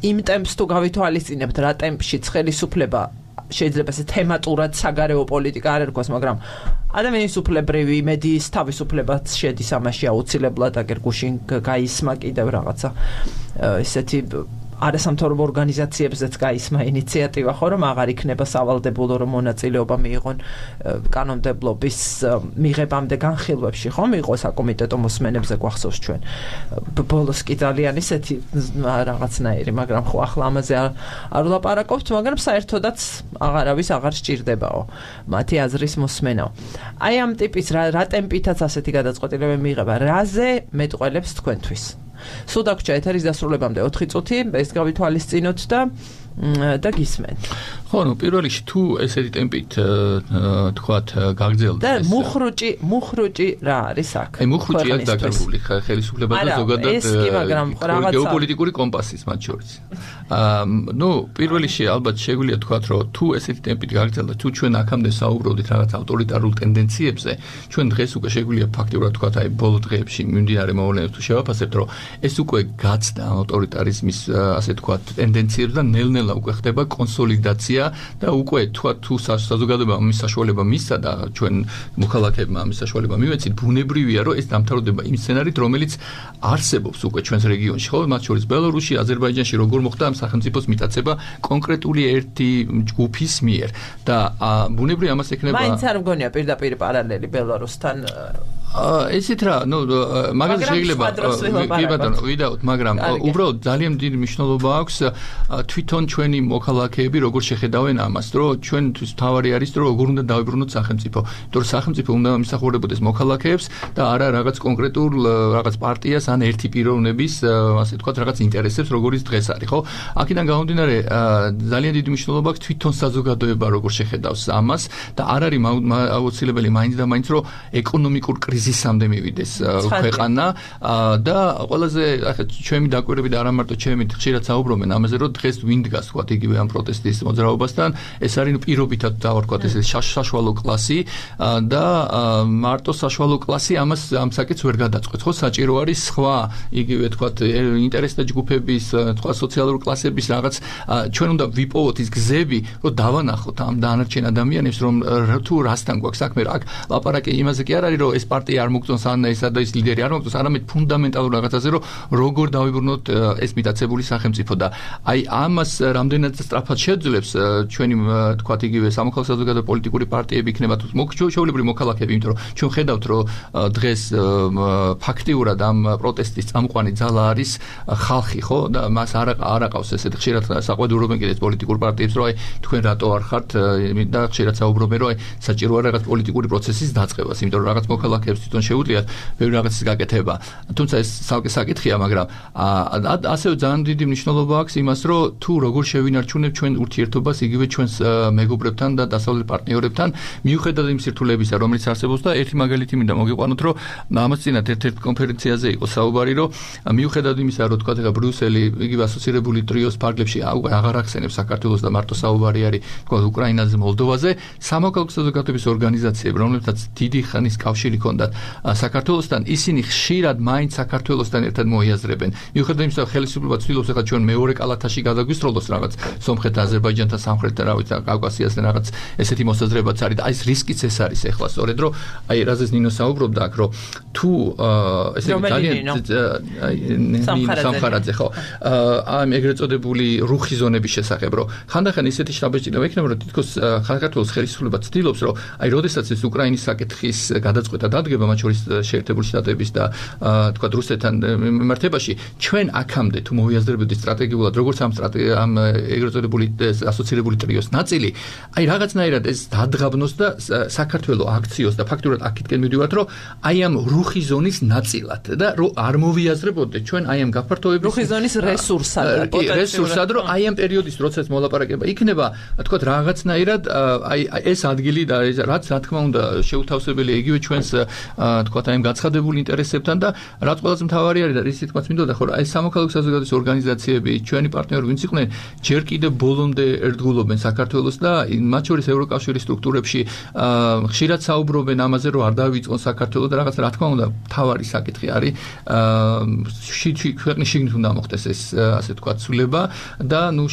იმ ტემპს თუ გავითვალისწინებთ რა ტემპში ხელისუფლება შეიძლება ესე თემატურად საგარეო პოლიტიკა არ ერქვას მაგრამ ადამიანის უფლებრივი მედიის თავისუფლებაც შედის ამაში აუცილებლად აგერ გუშინ გაისმა კიდევ რაღაცა ესეთი არასამთავრობო ორგანიზაციებზეც გაისმა ინიციატივა ხო რომ აღარ იქნება სავალდებულო რომ მონაწილეობა მიიღონ კანონმდებლობის მიღებამდე განხილვებში ხო მიიღოს საკომიტეტო მოსმენებზე გვახსოვს ჩვენ ბოლოს კი ძალიან ისეთი რაღაცნაირი მაგრამ ხო ახლა ამაზე არ ვლაპარაკობთ მაგრამ საერთოდაც აღარავის აღარ სჭირდებაო მათი აზრის მოსმენაო აი ამ ტიპის რა ტემპითაც ასეთი გადაწყვეტილებები მიიღება რაზე მეტყველებს თქვენთვის სულ დაგვრჩა ეთერის დასრულებამდე ოთხი წუთი ეს გავითვალისწინოთ და და გისმენთ ხო ნუ პირველ რიგში თუ ესეთი ტემპით თქვათ გაგრძელდეს და მუხრუჭი მუხრუჭი რა არის აქ აი მუხრუჭი აქ დაკარგული ხელისუფლება და ზოგადად გეოპოლიტიკური კომპასის მათ შორის ნუ პირველ რიგში ალბათ შეგვიძლია თქვათ რომ თუ ესეთი ტემპით გაგრძელდა თუ ჩვენ აქამდე საუბრობდით რაღაც ავტორიტარულ ტენდენციებზე ჩვენ დღეს უკვე შეგვიძლია ფაქტიურად თქვათ აი ბოლო დღეებში მიმდინარე მოვლენებს თუ შევაფასებთ რომ ეს უკვე გაცდა ავტორიტარიზმის ასე თქვათ ტენდენციებს და ნელ-ნელა უკვე ხდება კონსოლიდაცია და უკვე თქვა თუ საზოგადოება ამის საშუალება მისცა და ჩვენ მოქალაქეებმა ამის საშუალება მივეცით ბუნებრივია რომ ეს დამთავრდება იმ სცენარით რომელიც არსებობს უკვე ჩვენს რეგიონში ხო მათ შორის ბელორუსში აზერბაიჯანში როგორ მოხდა ამ სახელმწიფოს მიტაცება კონკრეტული ერთი ჯგუფის მიერ და ბუნებრივია ამას ექნება მაინც არ მგონია პირდაპირ პარალელი ბელორუსთან ესეთ რა ნუ მაგას შეიძლება კი ბატონო ვიდაოთ მაგრამ უბრალოდ ძალიან დიდი მნიშვნელობა აქვს თვითონ ჩვენი მოქალაქეები როგორ შეხედავენ ამას რომ ჩვენთვის თავარი არის რომ როგორ უნდა დავიბრუნოთ სახელმწიფო იმიტომ რომ სახელმწიფო უნდა მისახურებოდეს მოქალაქეებს და არა რაღაც კონკრეტულ რაღაც პარტიას ან ერთი პიროვნების ასე თქვათ რაღაც ინტერესებს როგორიც დღეს არის ხო აქედან გამომდინარე ძალიან დიდი მნიშვნელობა აქვს თვითონ საზოგადოება როგორ შეხედავს ამას და არ არის აუცილებელი მაინც და მაინც რომ ეკონომიკურ კრიზისამდე მივიდეს ქვეყანა და ყველაზე ახლა ჩემი დაკვირვები და არა მარტო ჩემი ხშირად საუბრობენ ამაზე რომ დღეს ვინ დგას თქვათ იგივე ამ პროტესტის მოძრაობასთან ეს არის პირობითად დავარქვათ ეს საშუალო კლასი და მარტო საშუალო კლასი ამას ამ საკითხს ვერ გადაწყვეტს ხო საჭირო არის სხვა იგივე თქვათ ინტერესთა ჯგუფების სხვა სოციალური კლასების რაღაც ჩვენ უნდა ვიპოვოთ ის გზები რომ დავანახოთ ამ დანარჩენ ადამიანებს რომ თუ რასთან გვაქვს საქმე რა აქ ლაპარაკი იმაზე კი არ არის რომ ეს პარტია პარტია არ მოგწონს ან ესა და ის ლიდერი არ მოგწონს, არამედ ფუნდამენტალურ რაღაცაზე, რომ როგორ დავიბრუნოთ ეს მიტაცებული სახელმწიფო და აი ამას რამდენად სწრაფად შეძლებს ჩვენი თქვათ იგივე სამოქალაქო საზოგადო პოლიტიკური პარტიები იქნება თუ ჩვეულებრივი მოქალაქეები, იმიტომ რომ ჩვენ ხედავთ რომ დღეს ფაქტიურად ამ პროტესტის წამყვანი ძალა არის ხალხი, ხო? და მას არ არაყავს ესეთ ხშირად საყვედურობენ კიდეც პოლიტიკურ პარტიებს, რომ აი თქვენ რატო არ ხართ და ხშირად საუბრობენ, რომ აი საჭიროა რაღაც პოლიტიკური პროცესის დაწყებას, იმიტომ რომ რაღაც მოქალაქეებს თვითონ შეუძლიათ ბევრი რაღაცის გაკეთება. თუმცა ეს ცალკე საკითხია, მაგრამ ასევე ძალიან დიდი მნიშვნელობა აქვს იმას, რომ თუ როგორ შევინარჩუნებ ჩვენ ურთიერთობას იგივე ჩვენს მეგობრებთან და დასავლელ პარტნიორებთან, მიუხედავად იმ სირთულეებისა, რომელიც არსებობს და ერთი მაგალითი მინდა მოგიყვანოთ, რომ ამას წინათ ერთ-ერთ კონფერენციაზე იყო საუბარი, რომ მიუხედავად იმისა, რომ თქვა ეხლა ბრიუსელი იგივე ასოცირებული ტრიოს ფარგლებში აღარ ახსენებს საქართველოს და მარტო საუბარი არის თქვა უკრაინაზე, მოლდოვაზე, სამოქალაქო საზოგადოების ორგანიზაციები, რომლებსაც დიდი ხნის კავშირი ჰქონდათ საქართველოსთან, ისინი ხშირად მაინც საქართველოსთან ერთად მოიაზრებენ. მიუხედავად იმისა, რომ ხელისუფლება ცდილობს ეხლა ჩვენ მეორე კალათაში გადაგვისროლოს რაღაც სომხეთ, აზერბაიჯანთან, სამხრეთ და რა ვიცი, კავკასიასთან რაღაც ესეთი მოსაზრებაც არის და აი ეს რისკიც ეს არის ეხლა სწორედ, რომ აი რაზეც ნინო საუბრობდა აქ, რომ თუ ესე ძალიან სამხარაძე ხო ამ ეგრეთ წოდებული რუხი ზონების შესახებ, რომ ხანდახან ისეთი შთაბეჭდილება იქნება, რომ თითქოს საქართველოს ხელისუფლება ცდილობს, რომ აი როდესაც ეს უკრაინის საკითხის გადაწყვეტა დადგება, მათ შორის შეერთებული შტატების და თქვა რუსეთთან მიმართებაში, ჩვენ აქამდე თუ მოვიაზრებოდით სტრატეგიულად, როგორც ამ ამ ეგრეთ წოდებული ასოცირებული ტრიოს ნაწილი, აი რაღაცნაირად ეს დადგაბნოს და საქართველოს აქციოს და ფაქტურად აქეთკენ მივიდივართ, რომ აი ამ რუხი ზონის ნაწილად და რომ არ მოვიაზრებოდეთ ჩვენ აი ამ გაფართოების რუხი ზონის რესურსად და პოტენციალად, რესურსად, რომ აი ამ პერიოდის როდესაც მოლაპარაკება იქნება, თქვა რაღაცნაირად აი ეს ადგილი და რაც რა თქმა უნდა შეუთავსებელია იგივე ჩვენს თქვა აი ამ გაცხადებული ინტერესებთან და რაც ყველაზე მთავარი არის და რის თქმაც მინდოდა, ხო, აი სამოქალაქო საზოგადოების ორგანიზაციები, ჩვენი პარტნიორები ვინც იყვნენ, ჯერ კიდევ ბოლომდე ერთგულობენ საქართველოს და მათ შორის ევროკავშირის სტრუქტურებში ხშირად საუბრობენ ამაზე, რომ არ დავიწყონ საქართველოს და რაღაც რა თქმა უნდა მთავარი საკითხი არის ქვეყნის შიგნით უნდა მოხდეს ეს ასე თქვა ცვლილება და ნუ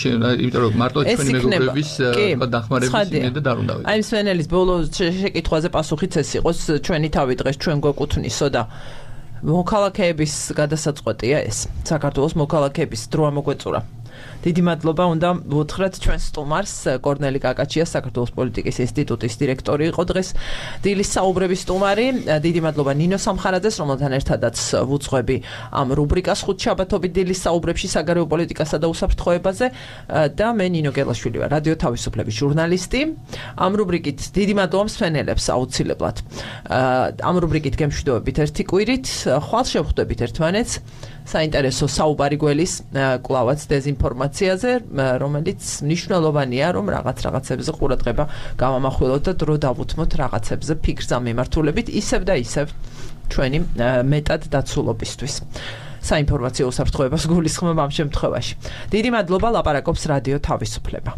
იმიტომ რომ მარტო ჩვენი მეგობრების თქვა დახმარების იმედი და დაუნდავი. აი სვენელის ბოლო შეკითხვაზე პასუხიც ეს იყოს, ჩვენი თავი დღეს ჩვენ გვეკუთვნისო და მოქალაქეების გადასაწყვეტია ეს. საქართველოს მოქალაქეების დრო ამოგვეწურა. დიდი მადლობა უნდა ვუთხრათ ჩვენ სტუმარს, კორნელი კაკაჩიას, საქართველოს პოლიტიკის ინსტიტუტის დირექტორი იყო დღეს დილის საუბრების სტუმარი. დიდი მადლობა ნინო სამხარაძეს, რომელთან ერთადაც ვუძღვები ამ რუბრიკას ხუთშაბათობით დილის საუბრებში საგარეო პოლიტიკასა და უსაფრთხოებაზე და მე ნინო გელაშვილი ვარ, რადიო თავისუფლების ჟურნალისტი. ამ რუბრიკით დიდი მადლობა მსვენელებს აუცილებლად. ამ რუბრიკით გემშვიდობებით ერთი კვირით, ხვალ შევხვდებით ერთმანეთს. საინტერესო საუბარი გველის კლავაც დეზინფორმაციაზე, რომელიც მნიშვნელოვანია, რომ რაღაც რაღაცებზე ყურადღება გავამახვილოთ და დრო დავუთმოთ რაღაცებზე ფიქრს ამ მიმართულებით, ისევ და ისევ ჩვენი მეტად დაცულობისთვის. საინფორმაციო უსაფრთხოებას გულისხმობ ამ შემთხვევაში. დიდი მადლობა, ლაპარაკობს რადიო თავისუფლება.